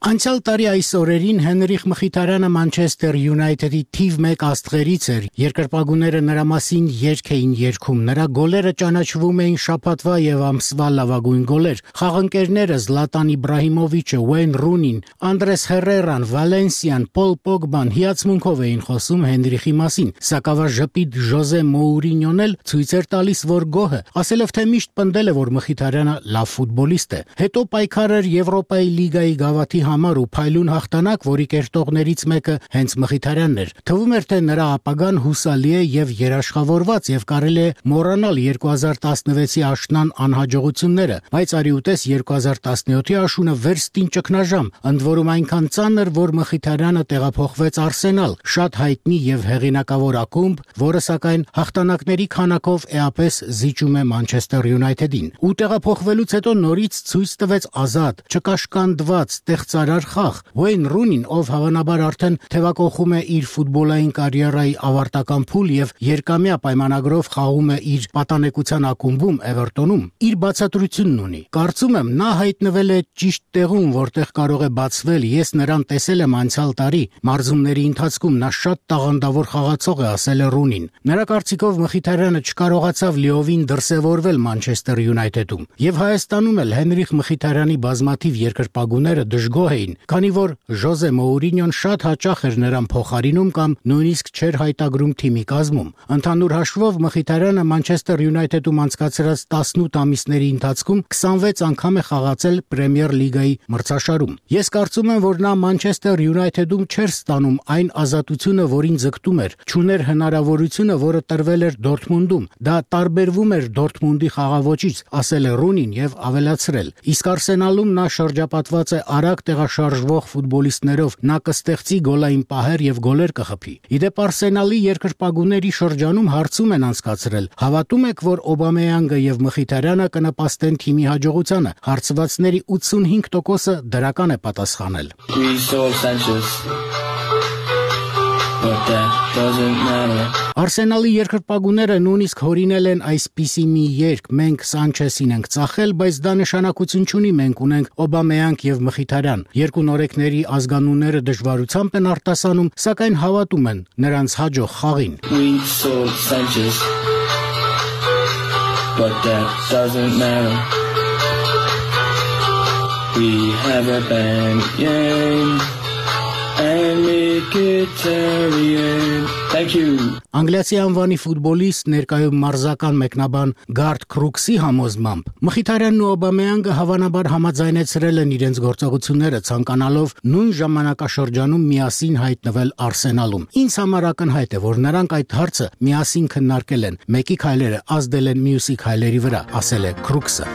Անցյալ տարի այս օրերին Հենրիխ Մխիթարյանը Մանչեսթեր Յունայթեդի թիվ 1 աստղերից էր։ Երկրպագուները նրա մասին երգ էին երգում։ Նրա գոլերը ճանաչվում էին շաբաթվա եւ ամսվա լավագույն գոլեր։ Խաղընկերները Զլատան Իբրահիմովիչը, Ուեյն Ռունին, Անդրես Հերերան, Վալենսիան, Պոլ Պոգբան հիացմունքով էին խոսում Հենրիխի մասին։ Սակավաժպիտ Ժոզե Մոուրինյոն էլ ցույց էր տալիս, որ գոհը, ասելով թե միշտ պնդել է, որ Մխիթարյանը լավ ֆուտբոլիստ է։ Հետո պայքար էր Եվրոպայի լիգայի գավաթի համար ու փայլուն հաղթանակ, որի կերտողներից մեկը հենց Մխիթարյանն էր։ Թվում էր, թե նրա ապագան հուսալի է եւ երաշխավորված եւ կարելի է մոռանալ 2016-ի աշնան անհաջողությունները, բայց արիուտես 2017-ի աշունը վերստին ճգնաժամ, ընդ որում այնքան ծանր, որ Մխիթարյանը տեղափոխվեց Արսենալ, շատ հայտնի եւ հեղինակավոր ակումբ, որը սակայն հաղթանակների քանակով էապես զիջում է Մանչեսթեր Յունայթեդին։ Ու տեղափոխվելուց հետո նորից ցույց տվեց ազատ, չկաշկանդված, արար խաղ։ Ուեյն Ռունին, ով հավանաբար արդեն թևակողում է իր ֆուտբոլային կարիերայի ավարտական փուլ եւ երկամյա պայմանագրով խաղում է իր պատանեկության ակումբում Էվերտոնում, իր բացատրությունն ունի։ Կարծում եմ, նա հայտնվել է ճիշտ տեղում, որտեղ կարող է բացվել։ Ես նրան տեսել եմ անցյալ տարի մարզումների ընթացքում, նա շատ տաղանդավոր խաղացող է, ասել է Ռունին։ Նրա կարծիքով Մխիթարյանը չկարողացավ լիովին դրսևորվել Մանչեսթեր Յունայթեդում։ Եվ Հայաստանում էլ Հենրիխ Մխիթարյանի բազմաթիվ երկրպագուները դժգոհ էին, քանի որ Ժոզե Մոուրինյոն շատ հաճախ էր նրան փոխարինում կամ նույնիսկ չէր հայտագրում թիմի կազմում։ Ընդհանուր հաշվով Մխիթարյանը Մանչեսթեր Յունայթեդում անցկացրած 18 ամիսների ընթացքում 26 անգամ է խաղացել Պրեմիեր լիգայի մրցաշարում։ Ես կարծում եմ, որ նա Մանչեսթեր Յունայթեդում չէր ստանում այն ազատությունը, որին ձգտում էր, չուներ հնարավորությունը, որը տրվել էր Դորթմունդում։ Դա տարբերվում էր Դորթմունդի խաղաոճից, ասել է Ռունին եւ ավելացրել։ Իսկ Արսենալում նա շրջապատված է արագ տեղաշարժվող ֆուտբոլիստներով, նա կստեղծի գոլային պահեր եւ գոլեր կխփի։ Իդեպ Արսենալի երկրպագուների շրջանում հարցում են անցկացրել. հավատում եք, որ Օբամեյանգը եւ Մխիթարյանը կնպաստեն թիմի հաջողությանը։ Հարցվածների 85%-ը դրական է պատասխանել։ Արսենալի երկրպագուները նույնիսկ հորինել են այսպիսի մի երգ. մենք Սանչեսին ենք ծախել, բայց դա նշանակություն չունի, մենք ունենք Օբամեյանք եւ Մխիթարյան։ Երկու նորեկների ազգանունները դժվարությամբ են արտասանում, սակայն հավատում են նրանց հաջող խաղին։ But that doesn't matter. We have a band, yeah. Thank you. Անգլիացի անվանի ֆուտբոլիստ ներկայում մարզական մեկնաբան Գարդ Քրուքսի համոզմամբ Մխիթարյանն ու Օբամեյանգը հավանաբար համաձայնեցրել են իրենց գործողությունները, ցանկանալով նույն ժամանակաշրջանում միասին հայտնվել Արսենալում։ Ինձ համար ակնհայտ է, որ նրանք այդ հարցը միասին քննարկել են, մեկի քայլերը ազդել են մյուսի քայլերի վրա, ասել է Քրուքսը։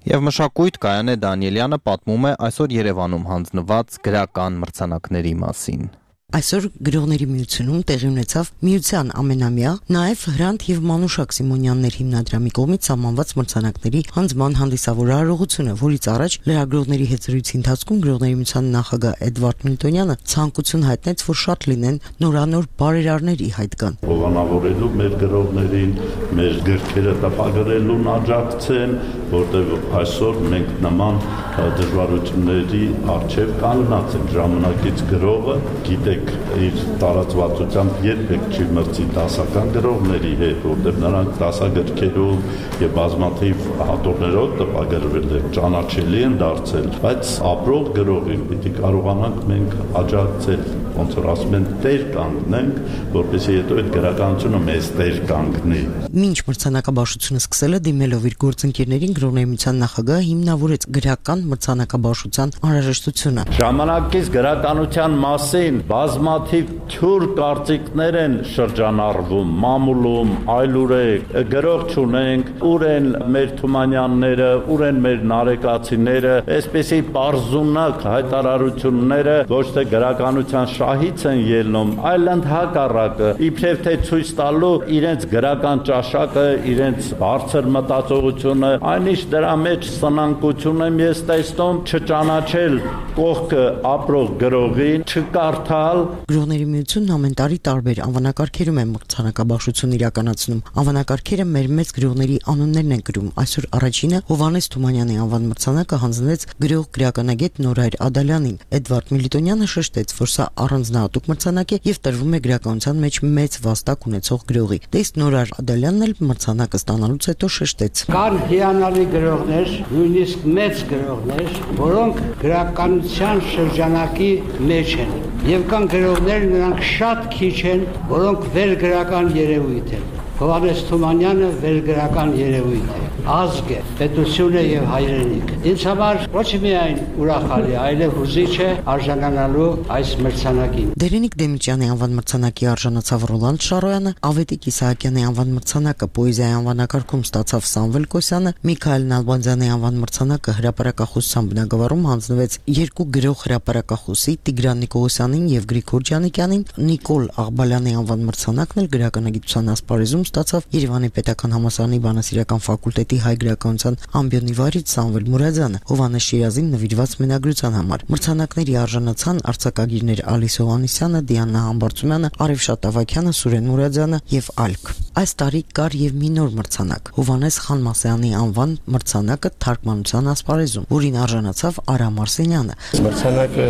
Եվ մշակույթ Կայանե Դանիելյանը պատմում է այսօր Երևանում հանձնված գրական մրցանակների մասին։ Այսօր գրողների միությունում տեղի ունեցավ միության ամենամյա, նաև Հրանտ եւ Մանուշակ Սիմոնյաններ հիմնադրամի կողմից սահմանված մրցանակների հանձնման հանդիսավոր արարողությունը, որից առաջ լրագրողների հետ զրույցի ընթացքում գրողների միության նախագահ Էդվարդ Միլտոնյանը ցանկություն հայտնեց, որ շատ լինեն նորանոր բարերարներ ի հայտ գան։ Հովանավորելու մեր գրողներին, մեր գրքերը տպագրելուն աջակցեն, որտեղ այսօր մենք նման դժվարությունների առջև կանգնած ենք։ Ժամանակից գրողը գիտեք իր տարածվածությամբ երբեք չի մրցի դասական գրողների հետ, որտեղ նրանք դասագրքերով եւ բազմաթիվ հատորներով տպագրվել են, ճանաչելի են դարձել, բայց ապրող գրողին պիտի կարողանանք մենք աջակցել, ոնց որ ասում են, տեր կանգնենք, որպեսզի հետո այդ գրականությունը մեզ տեր կանգնի։ Մինչ մրցանակաբաշխությունը սկսելը դիմելով իր գործընկերներին գրողների միության նախագահը հիմնավորեց գրական մրցանակաբաշխության անհրաժեշտությունը։ Ժամանակից գրականության մասին բազմաթիվ թյուր կարծիքներ են շրջանառվում, մամուլում, այլուրեք, գրող չունենք, ուր են մեր Թումանյանները, ուր են մեր Նարեկացիները, այսպեսի պարզունակ հայտարարությունները ոչ թե գրականության շահից են ելնում, այլ ընդհակառակը, իբրև թե ցույց տալու իրենց գրական ճաշակը, իրենց բարձր մտածողությունը, այնիշ դրա մեջ սնանկություն եմ ես տեսնում, չճանաչել կողքը ապրող գրողին, չկարդալ։ Գրողների միությունն ամեն տարի տարբեր անվանակարգերում է մրցանակաբաշխություն իրականացնում։ Անվանակարգերը մեր մեծ գրողների անուններն են գրում։ Այսօր առաջինը Հովհաննես Թումանյանի անվան մրցանակը հանձնվեց գրող գրականագետ Նորայր Ադալյանին։ Էդվարդ Միլիտոնյանը շեշտեց, որ սա առանձնահատուկ մրցանակ է եւ տրվում է գրականության մեջ մեծ վաստակ ունեցող գրողի։ Դες Նորայր Ադալյանն էլ մրցանակը ստանալուց հետո շեշտեց. Կան հիանալի գրողներ, նույնիսկ մեծ գրողներ, որոնք գրականության շրջանակի մեջ են։ Եվ կան գրողներ, նրանք շատ քիչ են, որոնք վերգրական երևույթ են։ Հովհաննես Թումանյանը վերգրական երևույթ է, ազգ է, պետություն է եւ հայրենիք։ Ինձ համար ոչ միայն ուրախալի, այլև հուզիչ է արժանանալու այս մրցանակին։ Դերենիկ Դեմիճյանի անվան մրցանակի արժանացավ Ռոլանդ Շարոյանը, Ավետիք Իսահակյանի անվան մրցանակը պոեզիայի անվանակարգում ստացավ Սամվել Կոսյանը, Միքայել Նալբանդյանի անվան մրցանակը հրապարակախոսության բնագավառում հանձնվեց երկու գրող հրապարակախոսի Տիգրան Նիկողոսյանին եւ Գրիգոր Ջանիկյանին, Նիկոլ Աղբալյանի անվան մրցանակն էլ գրականագիտության ասպարեզում ստացավ Երևանի Պետական համալսարանի բանասիրական ֆակուլտետի հայ գրականության ամբիոնի վարիչ Սամվել Մուրադյանը, Հովհաննես Շիրազին նվիրված մենագրության համար։ Մրցանակների արժանացան արձակագիրներ Ալիս Հովհաննիսյանը, Դիանա Համբարձումյանը, Արևշատ Ավագյանը, Սուրեն Մուրադյանը եւ այլք։ Այս տարի կար եւ մի նոր մրցանակ՝ Հովհաննես Խանմասյանի անվան մրցանակը թարգմանության ասպարեզում, որին արժանացավ Արամ Արսենյանը։ Մրցանակը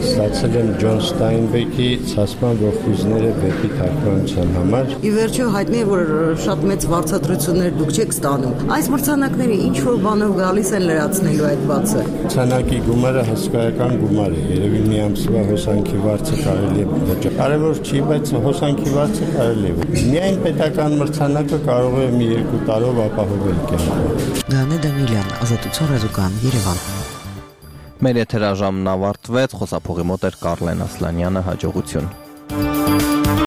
ստացել եմ Ջոն Ստայնբեկի «Ցասման ողբույզները» վեպի թարգմանության համար։ Ի վերջո հայտնի է, որ շատ մեծ վարձատրություններ դուք չեք ստանում։ Այս մրցանակները ինչ որ բանով գալիս են լրացնելու այդ բացը։ Մրցանակի գումարը հսկայական գումար է, երևի մի ամսվա հոսանքի վարձը կարելի է վճարել։ Կարևոր չի, բայց հոսանքի վարձը կարելի է։ Միայն պետական մրցանակը կարող է մի 2 տարով ապահովել կյանքը։ Գանե Դանիելյան, Ազատություն ռադիոկայան, Երևան։ Մեր եթերաժամն ավարտվեց, խոսափողի մոտ էր Կարլեն Ասլանյանը, հաջողություն։